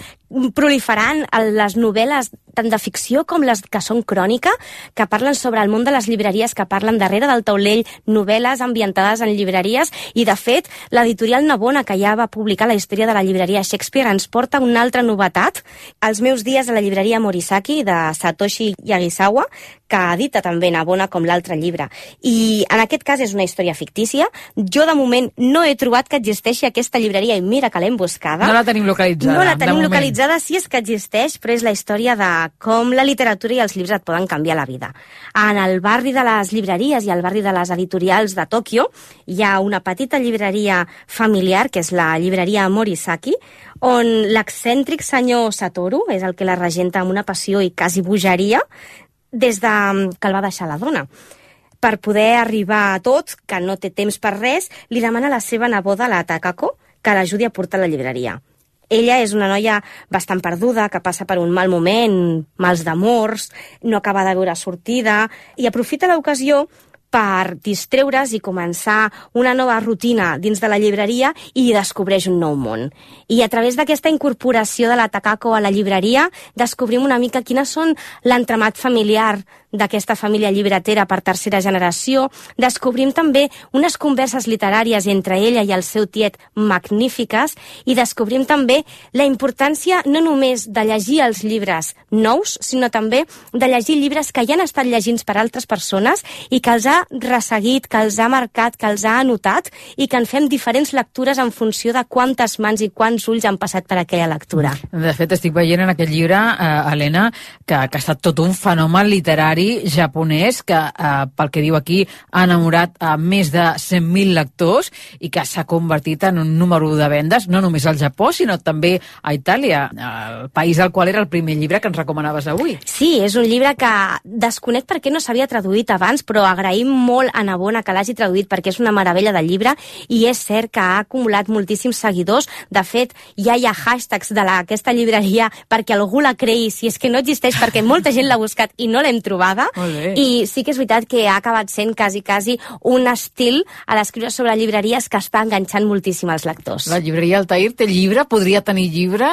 proliferant les novel·les tant de ficció com les que són crònica, que parlen sobre el món de les llibreries, que parlen darrere del taulell, novel·les ambientades en llibreries, i de fet l'editorial Navona, que ja va publicar la història de la llibreria Shakespeare, ens porta una altra novetat, Els meus dies a la llibreria Morisaki, de Satoshi Yagisawa, que edita també Navona com l'altre llibre. I en aquest cas és una història fictícia. Jo de moment no he trobat que existeixi aquesta llibreria i mira que l'hem buscada. No la tenim localitzada. No la tenim localitzada, sí és que existeix, però és la història de com la literatura i els llibres et poden canviar la vida. En el barri de les llibreries i al barri de les editorials de Tòquio hi ha una petita llibreria familiar, que és la llibreria Morisaki, on l'excèntric senyor Satoru és el que la regenta amb una passió i quasi bogeria des de que el va deixar la dona. Per poder arribar a tot, que no té temps per res, li demana a la seva neboda, la Takako, que l'ajudi a portar la llibreria. Ella és una noia bastant perduda, que passa per un mal moment, mals d'amors, no acaba de veure sortida, i aprofita l'ocasió per distreure's i començar una nova rutina dins de la llibreria i descobreix un nou món. I a través d'aquesta incorporació de la Takako a la llibreria descobrim una mica quines són l'entramat familiar d'aquesta família llibretera per tercera generació. Descobrim també unes converses literàries entre ella i el seu tiet magnífiques i descobrim també la importància no només de llegir els llibres nous, sinó també de llegir llibres que ja han estat llegits per altres persones i que els ha resseguit, que els ha marcat, que els ha anotat i que en fem diferents lectures en funció de quantes mans i quants ulls han passat per aquella lectura. De fet, estic veient en aquest llibre, eh, Helena, que, que ha estat tot un fenomen literari japonès que, eh, pel que diu aquí, ha enamorat a més de cent mil lectors i que s'ha convertit en un número de vendes, no només al Japó, sinó també a Itàlia, el país al qual era el primer llibre que ens recomanaves avui. Sí, és un llibre que desconec per què no s'havia traduït abans, però agraïm molt a Navona que l'hagi traduït perquè és una meravella de llibre i és cert que ha acumulat moltíssims seguidors. De fet, ja hi ha hashtags de la, aquesta llibreria perquè algú la creï, si és que no existeix, perquè molta gent l'ha buscat i no l'hem trobada. I sí que és veritat que ha acabat sent quasi, quasi un estil a l'escriure sobre llibreries que està enganxant moltíssim als lectors. La llibreria Altair té llibre? Podria tenir llibre?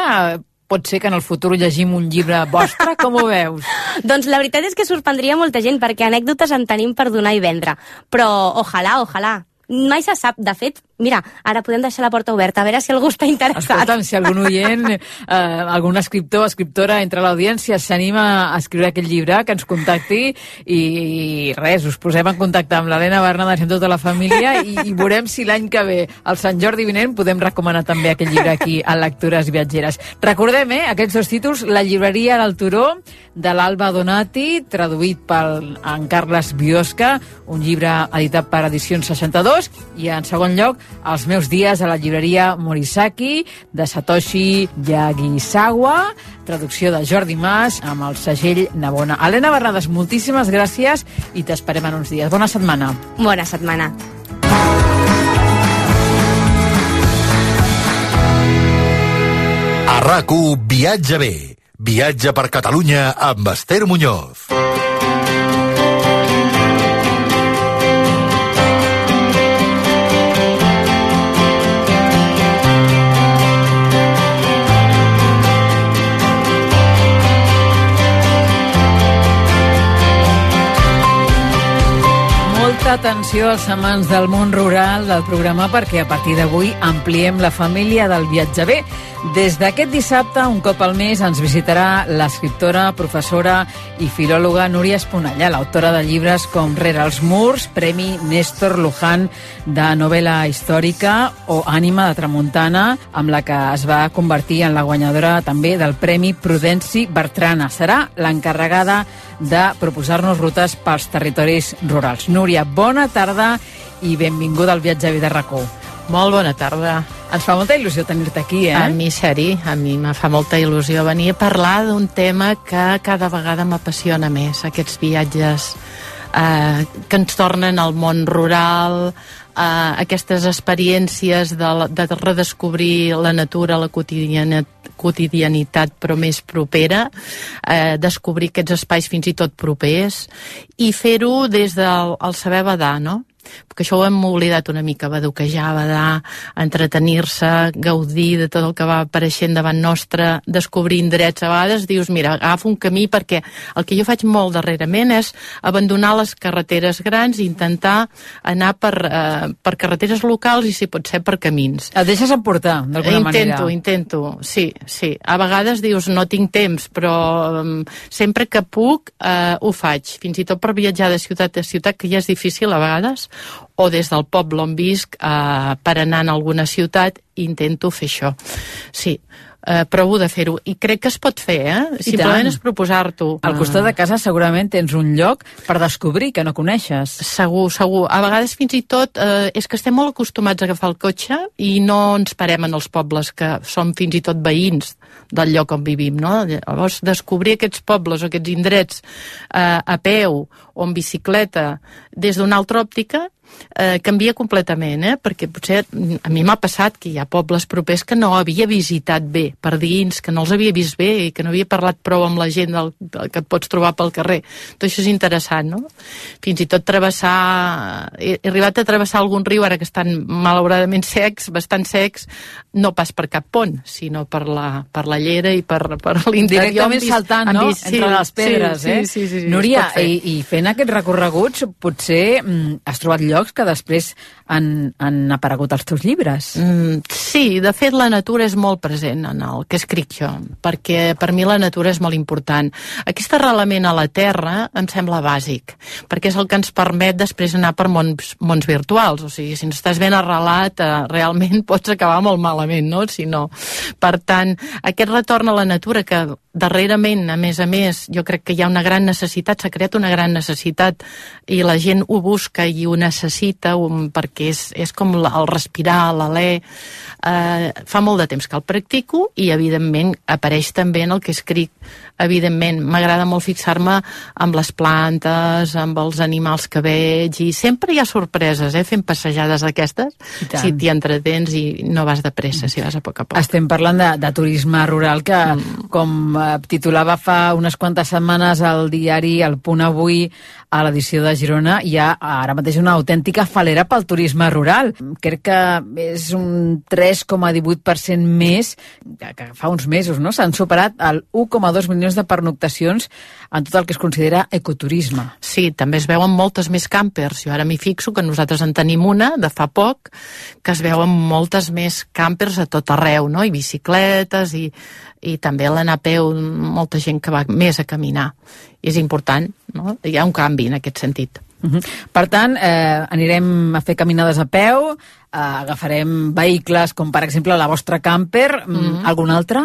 pot ser que en el futur llegim un llibre vostre? Com ho veus? Doncs la veritat és que sorprendria molta gent, perquè anècdotes en tenim per donar i vendre. Però ojalà, ojalà. Mai se sap. De fet, mira, ara podem deixar la porta oberta, a veure si algú està interessat. Escolta'm, si algun oient, eh, algun escriptor o escriptora entre l'audiència s'anima a escriure aquest llibre, que ens contacti i, i res, us posem en contacte amb l'Helena Bernades i amb tota la família i, i veurem si l'any que ve, el Sant Jordi vinent, podem recomanar també aquest llibre aquí a Lectures Viatgeres. Recordem, eh, aquests dos títols, La llibreria del Turó, de l'Alba Donati, traduït per en Carles Biosca, un llibre editat per Edicions seixanta-dos, i en segon lloc, Els meus dies a la llibreria Morisaki, de Satoshi Yagisawa, traducció de Jordi Mas, amb el segell Navona. Helena Bernades, moltíssimes gràcies i t'esperem en uns dies. Bona setmana. Bona setmana. A RAC u Viatge bé. Viatge per Catalunya amb Esther Muñoz. Molta atenció als amants del món rural del programa, perquè a partir d'avui ampliem la família del Viatge bé. Des d'aquest dissabte, un cop al mes, ens visitarà l'escriptora, professora i filòloga Núria Esponellà, l'autora de llibres com Rere els murs, Premi Néstor Luján de novel·la històrica, o Ànima de Tramuntana, amb la que es va convertir en la guanyadora també del Premi Prudenci Bertrana. Serà l'encarregada de proposar-nos rutes pels territoris rurals. Núria, bona tarda i benvinguda al Viatge bé de RAC u. Molt bona tarda. Ens fa molta il·lusió tenir-te aquí, eh? A mi, seri, a mi me fa molta il·lusió venir a parlar d'un tema que cada vegada m'apassiona més, aquests viatges eh, que ens tornen al món rural, eh, aquestes experiències de, de redescobrir la natura, la quotidianitat, quotidianitat però més propera, eh, descobrir aquests espais fins i tot propers i fer-ho des del el saber badar, no? Perquè això ho hem oblidat una mica, badoquejar, badar, entretenir-se, gaudir de tot el que va apareixent davant nostre, descobrir indrets. A vegades dius, mira, agafa un camí, perquè el que jo faig molt darrerament és abandonar les carreteres grans i intentar anar per, eh, per carreteres locals i, si pot ser, per camins. Et deixes emportar, d'alguna manera? Intento, intento, sí, sí. A vegades dius, no tinc temps, però um, sempre que puc eh, ho faig. Fins i tot per viatjar de ciutat a ciutat, que ja és difícil a vegades, o des del poble on visc eh, per anar a alguna ciutat, intento fer això. Sí, eh, provo de fer-ho. I crec que es pot fer, eh? Simplement és proposar-t'ho. Al costat de casa segurament tens un lloc per descobrir que no coneixes. Segur, segur. A vegades fins i tot eh, és que estem molt acostumats a agafar el cotxe i no ens parem en els pobles que som fins i tot veïns del lloc on vivim, no? Llavors, descobrir aquests pobles o aquests indrets eh, a peu o en bicicleta des d'una altra òptica eh, canvia completament, eh? Perquè potser a mi m'ha passat que hi ha pobles propers que no havia visitat bé per dins, que no els havia vist bé i que no havia parlat prou amb la gent del, del que et pots trobar pel carrer. Tot això és interessant, no? Fins i tot travessar... He, he arribat a travessar algun riu ara que estan malauradament secs, bastant secs, no pas per cap pont, sinó per la, per la llera i per, per l'interior. Directament saltant, no? Vist, sí, entre les pedres, sí, eh? Sí, sí, sí, Núria, i, i fent aquests recorreguts, potser mm, has trobat llocs que després han, han aparegut als teus llibres. Mm, sí, de fet la natura és molt present en el que escric jo, perquè per mi la natura és molt important. Aquest arrelament a la terra em sembla bàsic, perquè és el que ens permet després anar per mons, mons virtuals. O sigui, si no estàs ben arrelat, eh, realment pots acabar molt malament, no? Si no. Per tant, aquest retorn a la natura que darrerament, a més a més, jo crec que hi ha una gran necessitat, s'ha creat una gran necessitat i la gent ho busca i ho necessita un, perquè és, és com la, el respirar, l'alè. Eh, fa molt de temps que el practico i, evidentment, apareix també en el que escric evidentment. M'agrada molt fixar-me amb les plantes, amb els animals que veig, i sempre hi ha sorpreses, eh, fent passejades d'aquestes, si t'hi entretens i no vas de pressa, si vas a poc a poc. Estem parlant de, de turisme rural que, mm. com eh, titulava fa unes quantes setmanes al diari El Punt Avui, a l'edició de Girona, hi ha ara mateix una autèntica falera pel turisme rural. Crec que és un tres coma divuit per cent més que, que fa uns mesos, no? S'han superat el u coma dos milions de pernoctacions en tot el que es considera ecoturisme. Sí, també es veuen moltes més campers. Jo ara m'hi fixo que nosaltres en tenim una de fa poc, que es veuen moltes més campers a tot arreu, no? I bicicletes, i, i també l'anar a peu, molta gent que va més a caminar. I és important, no? Hi ha un canvi en aquest sentit. Uh-huh. Per tant, eh, anirem a fer caminades a peu, eh, agafarem vehicles com per exemple la vostra camper, mm-hmm. algun altre?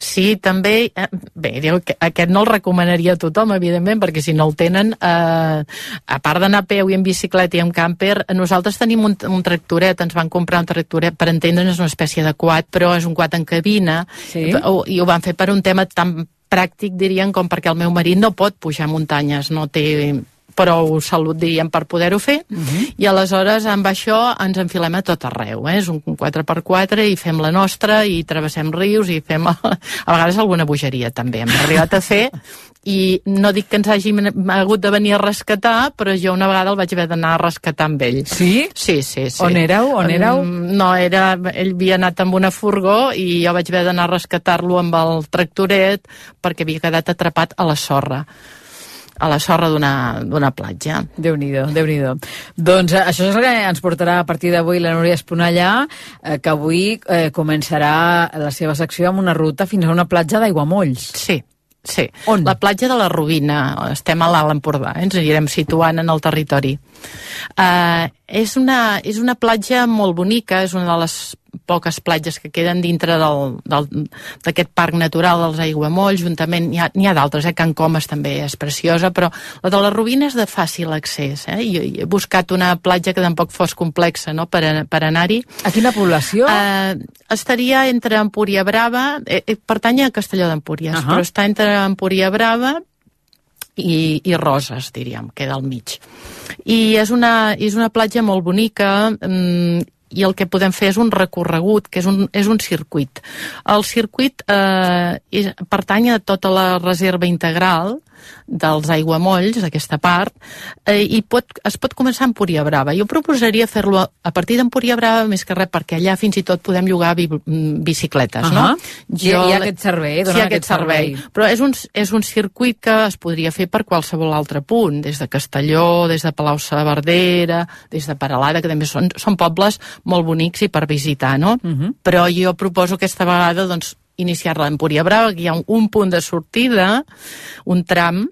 Sí, també, eh, bé, diu que aquest no el recomanaria a tothom, evidentment, perquè si no el tenen, eh, a part d'anar a peu i en bicicleta i en camper, nosaltres tenim un, un tractoret, ens van comprar un tractoret, per entendre'ns, és una espècie de quad, però és un quad en cabina, sí? i, i ho van fer per un tema tan pràctic, dirien, com perquè el meu marit no pot pujar muntanyes, no té prou salut, diríem, per poder-ho fer, uh-huh. i aleshores amb això ens enfilem a tot arreu, eh? És un quatre per quatre i fem la nostra i travessem rius i fem a, a vegades alguna bogeria també hem arribat a fer, i no dic que ens hagi hagut de venir a rescatar, però jo una vegada el vaig haver d'anar a rescatar amb ell. Sí? Sí, sí, sí. On éreu? On éreu? No, era, ell havia anat amb una furgó i jo vaig haver d'anar a rescatar-lo amb el tractoret perquè havia quedat atrapat a la sorra. a la sorra d'una platja. Déu-n'hi-do, Déu-n'hi-do. Doncs eh, això és el que ens portarà a partir d'avui la Núria Esponellà, eh, que avui eh, començarà la seva secció amb una ruta fins a una platja d'Aiguamolls. Sí, sí. On? La platja de la Rovina. Estem a l'Alt Empordà, eh? Ens anirem situant en el territori. Eh, és, una, és una platja molt bonica, és una de les poques platges que queden dintre d'aquest parc natural dels Aiguamolls. Juntament n'hi ha, ha d'altres, eh? Can Comes també és preciosa, però la de la Rovina és de fàcil accés. Eh? Jo he buscat una platja que tampoc fos complexa, no? per, per anar-hi. A quina població? Eh, estaria entre Empúria Brava, eh, eh, pertany a Castelló d'Empúries, uh-huh. però està entre Empúria Brava i, i Roses, diríem, queda al mig. I és una, és una platja molt bonica, mmm, i el que podem fer és un recorregut, que és un, és un circuit. El circuit eh, és, pertany a tota la reserva integral dels Aiguamolls, aquesta part, eh, i pot, es pot començar a Empúria Brava. Jo proposaria fer-lo a, a partir d'Empúria Brava, més que res, perquè allà fins i tot podem llogar bi, bicicletes, uh-huh. no? Jo, hi ha aquest servei, sí, aquest, aquest servei. servei. Però és un, és un circuit que es podria fer per qualsevol altre punt, des de Castelló, des de Palau-saverdera, des de Peralada, que també són, són pobles molt bonics i per visitar, no? Uh-huh. Però jo proposo aquesta vegada, doncs, iniciar-la a Empúria Brava, que hi ha un, un punt de sortida, un tram,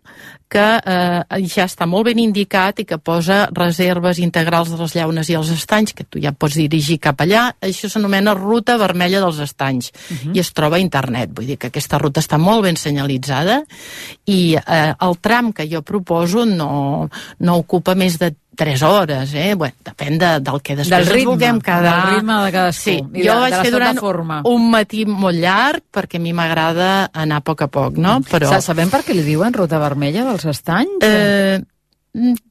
que eh, ja està molt ben indicat i que posa reserves integrals de les llaunes i els estanys, que tu ja pots dirigir cap allà. Això s'anomena Ruta Vermella dels Estanys, uh-huh. i es troba a internet. Vull dir que aquesta ruta està molt ben senyalitzada i eh, el tram que jo proposo no, no ocupa més de tres hores, eh? Bueno, depèn de, del que després del ritme, ens vulguem quedar. Del ritme de cadascú. Sí, I jo de, vaig de fer durant forma. un matí molt llarg, perquè a mi m'agrada anar a poc a poc, no? Però... Sabem per què li diuen Ruta Vermella dels Estanys? Eh,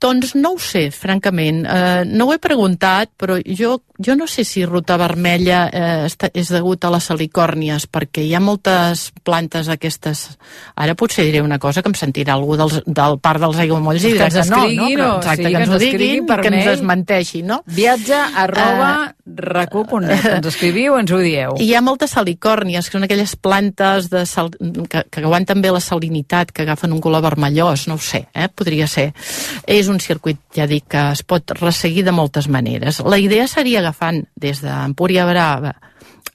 doncs no ho sé, francament. Eh, no ho he preguntat, però jo, jo no sé si Ruta Vermella eh, està, és degut a les salicòrnies, perquè hi ha moltes plantes aquestes... Ara potser diré una cosa que em sentirà algú dels, del parc dels Aiguamolls i dirà que no, no? Però, exacte, sí, que, que ens ho diguin i que ens desmenteixi, no? Viatge arroba uh, racu punt net. Ens escriviu, ens ho dieu. Hi ha moltes salicòrnies, que són aquelles plantes de sal, que, que aguanten bé la salinitat, que agafen un color vermellós, no ho sé, eh? Podria ser. És un circuit, ja dic, que es pot resseguir de moltes maneres. La idea seria agafant des d'Empúria Brava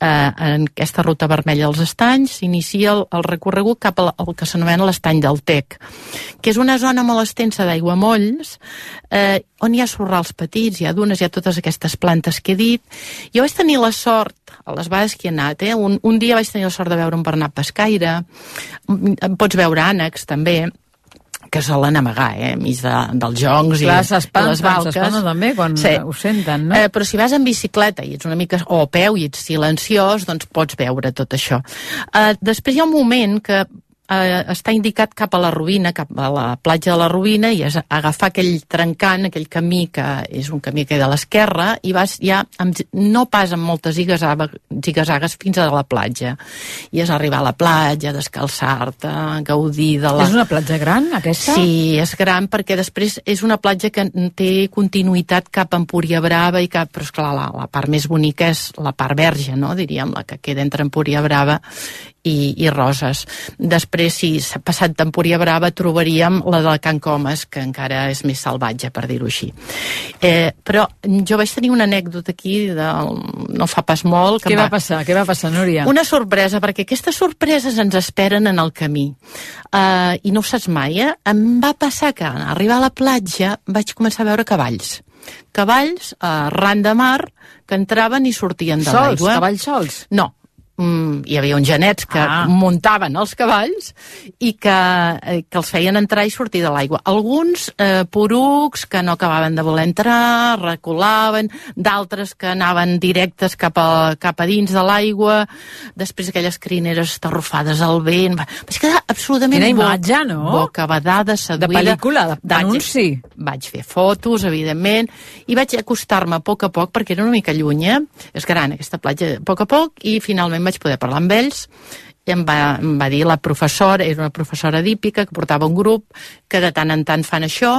eh, en aquesta ruta vermella als estanys, s'inicia el, el recorregut cap al, al que s'anomena l'estany del Tec, que és una zona molt extensa d'aiguamolls, eh, on hi ha sorrals petits, hi ha dunes, hi ha totes aquestes plantes que he dit. Jo vaig tenir la sort, a les vegades que he anat, eh, un, un dia vaig tenir la sort de veure un bernat pescaire, pots veure ànecs també, que solen amagar, eh, enmig de, dels joncs i, clar, i les valques. S'espanta també quan sí. ho senten, no? Eh, però si vas en bicicleta i ets una mica, o a peu i ets silenciós, doncs pots veure tot això. Eh, després hi ha un moment que eh, està indicat cap a la Rovina, cap a la platja de la Rovina, i és agafar aquell trencant, aquell camí que és un camí que ve de l'esquerra, i vas ja, amb, no pas amb moltes zigazagues fins a la platja. I és arribar a la platja, descalçar-te, gaudir de la... És una platja gran, aquesta? Sí, és gran perquè després és una platja que té continuïtat cap a Empúria Brava i cap... Però esclar, la, la part més bonica és la part verge, no? Diríem, la que queda entre Empúria Brava i, i Roses. Després, si s'ha passat d'Empúria Brava, trobaríem la de Can Comas, que encara és més salvatge, per dir-ho així. Eh, però jo vaig tenir una anècdota aquí, de, no fa pas molt... Que Què va, va passar? Què va passar, Núria? Una sorpresa, perquè aquestes sorpreses ens esperen en el camí. Uh, I no ho saps mai, eh? Em va passar que, al arribar a la platja, vaig començar a veure cavalls. Cavalls, uh, ran de mar, que entraven i sortien de l'aigua. Sols? Cavalls sols? No. Mm, hi havia uns genets que ah. muntaven els cavalls i que, eh, que els feien entrar i sortir de l'aigua. Alguns eh, porucs que no acabaven de voler entrar, reculaven, d'altres que anaven directes cap a, cap a dins de l'aigua, després aquelles crineres estarrufades al vent. Vaig quedar absolutament... Quina imatge, no? Bocabadada, seduïda. De pel·lícula, d'anunci. Vaig, vaig fer fotos, evidentment, i vaig acostar-me a poc a poc, perquè era una mica lluny, eh? És gran aquesta platja, a poc a poc, i finalment vaig poder parlar amb ells, i em va, em va dir la professora, era una professora d'hípica que portava un grup que de tant en tant fan això,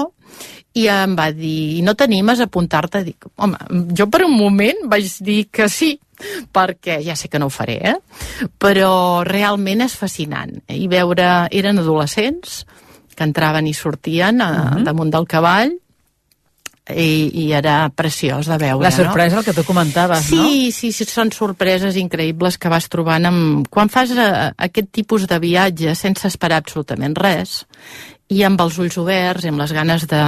i em va dir, no t'animes a apuntar-te? Dic, home, jo per un moment vaig dir que sí, perquè ja sé que no ho faré, eh? Però realment és fascinant. I veure, eren adolescents que entraven i sortien a, uh-huh. damunt del cavall, I, i era preciós de veure. La sorpresa, no? El que tu comentaves, sí, no? Sí, sí, són sorpreses increïbles que vas trobant amb... quan fas a, aquest tipus de viatge sense esperar absolutament res i amb els ulls oberts i amb les ganes de,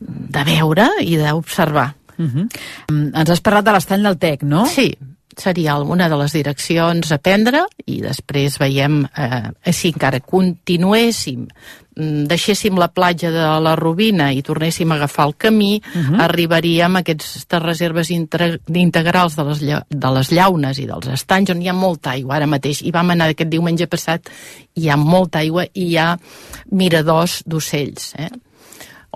de veure i d'observar. Uh-huh. Ens has parlat de l'estany del Tec, no? Sí, seria una de les direccions a prendre i després veiem eh, si encara continuéssim, deixéssim la platja de la Rovina i tornéssim a agafar el camí, uh-huh. arribaríem a aquestes reserves integrals de les, de les llaunes i dels estanys on hi ha molta aigua ara mateix, i vam anar aquest diumenge passat, hi ha molta aigua i hi ha miradors d'ocells, eh?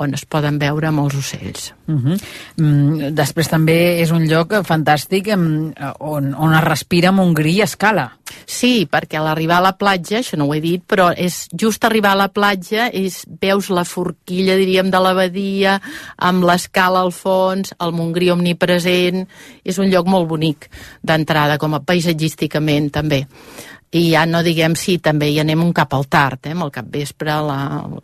on es poden veure molts ocells. Uh-huh. mm, després també és un lloc fantàstic on, on es respira amb un gri a escala. Sí, perquè a l'arribar a la platja, això no ho he dit, però és just arribar a la platja, és, veus la forquilla, diríem, de la badia, amb l'escala al fons, el Montgrí omnipresent, és un lloc molt bonic d'entrada, com a paisatgísticament també. I ja no diguem si sí, també hi anem un cap al tard, eh? Amb el capvespre, la,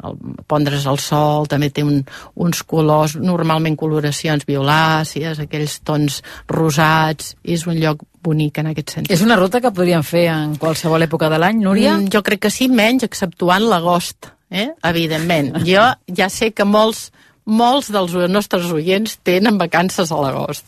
el, pondre's al sol, també té un, uns colors, normalment coloracions violàcies, aquells tons rosats, és un lloc bonic en aquest sentit. És una ruta que podríem fer en qualsevol època de l'any, Núria? Mm, jo crec que sí, menys, exceptuant l'agost, eh? Evidentment. Jo ja sé que molts molts dels nostres oients tenen vacances a l'agost,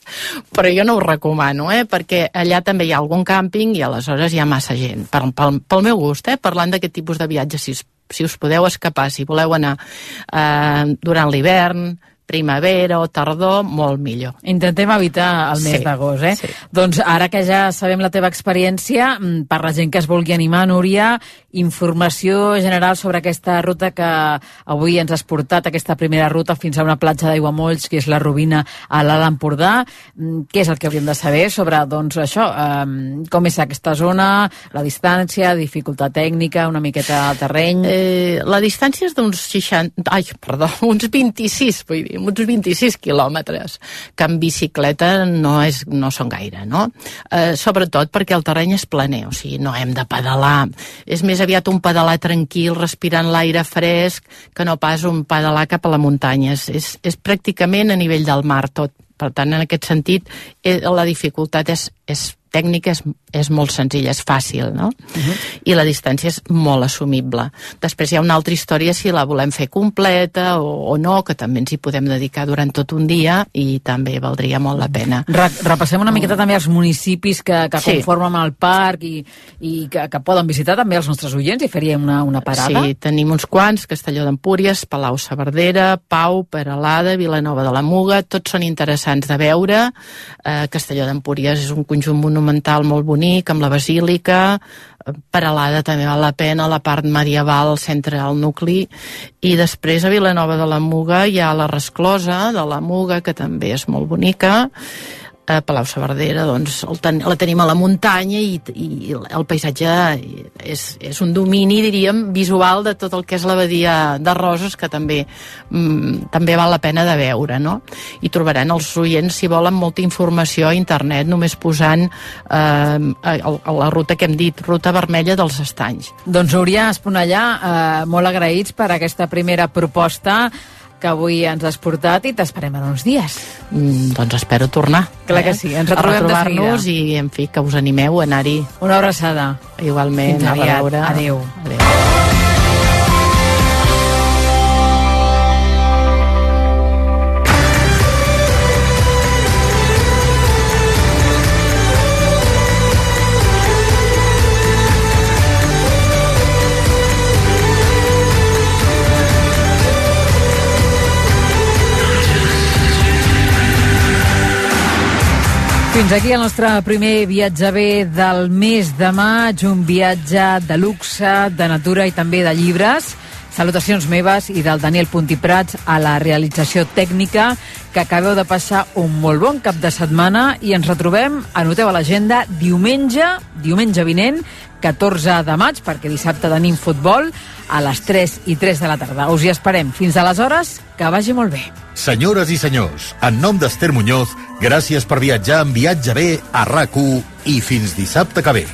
però jo no ho recomano, eh? Perquè allà també hi ha algun càmping i aleshores hi ha massa gent. Per, pel, pel meu gust, eh? Parlant d'aquest tipus de viatges, si, si us podeu escapar, si voleu anar eh, durant l'hivern, primavera o tardor, molt millor. Intentem evitar el mes sí, d'agost, eh? Sí. Doncs ara que ja sabem la teva experiència, per la gent que es vulgui animar, Núria, informació general sobre aquesta ruta que avui ens has portat, aquesta primera ruta fins a una platja d'Aiguamolls, que és la Rovina a l'Alt Empordà. Què és el que hauríem de saber sobre, doncs, això, eh, com és aquesta zona, la distància, dificultat tècnica, una miqueta de terreny? Eh, la distància és d'uns seixanta... Ai, perdó, uns vint-i-sis, vull dir, uns vint-i-sis quilòmetres, que en bicicleta no, és, no són gaire, no? Eh, sobretot perquè el terreny és planer, o sigui, no hem de pedalar. És més aviat un pedalar tranquil, respirant l'aire fresc, que no pas un pedalar cap a la muntanya. És, és, és pràcticament a nivell del mar tot. Per tant, en aquest sentit, eh, la dificultat és, és tècnica, és, és molt senzilla, és fàcil, no? Uh-huh. I la distància és molt assumible. Després hi ha una altra història si la volem fer completa o, o no, que també ens hi podem dedicar durant tot un dia i també valdria molt la pena. Re repassem una miqueta uh. també els municipis que, que sí. conformen el parc i, i que, que poden visitar també els nostres oients i faríem una, una parada. Sí, tenim uns quants, Castelló d'Empúries, Palau-saverdera, Pau, Peralada, Vilanova de la Muga, tots són interessants de veure. Eh, Castelló d'Empúries és un conjunt monumental molt bonic bonic, amb la basílica. Peralada també val la pena, la part medieval, al centre del nucli, i després a Vilanova de la Muga hi ha la resclosa de la Muga, que també és molt bonica. A Palau-saverdera, doncs, el ten, la tenim a la muntanya i, i el paisatge és, és un domini, diríem, visual de tot el que és la badia de Roses, que també mm, també val la pena de veure, no? I trobaran els oients, si volen, molta informació a internet, només posant eh, a, a la ruta que hem dit, Ruta Vermella dels Estanys. Doncs Núria Esponellà, eh, molt agraïts per aquesta primera proposta que avui ens has portat i t'esperem en uns dies. Mm, doncs espero tornar. Clar eh? que sí, ens retrobem de seguida. I, en fi, que us animeu a anar-hi. Una abraçada. Igualment. Fins aviat. Adéu. Adéu. Fins aquí el nostre primer viatge bé del mes de maig, un viatge de luxe, de natura i també de llibres. Salutacions meves i del Daniel Puntiprats a la realització tècnica, que acabeu de passar un molt bon cap de setmana i ens retrobem, anoteu a l'agenda, diumenge, diumenge vinent, catorze de maig, perquè dissabte tenim futbol, a les tres i tres de la tarda. Us hi esperem. Fins aleshores, que vagi molt bé. Senyores i senyors, en nom d'Ester Muñoz, gràcies per viatjar en Viatge bé a RAC u i fins dissabte que ve.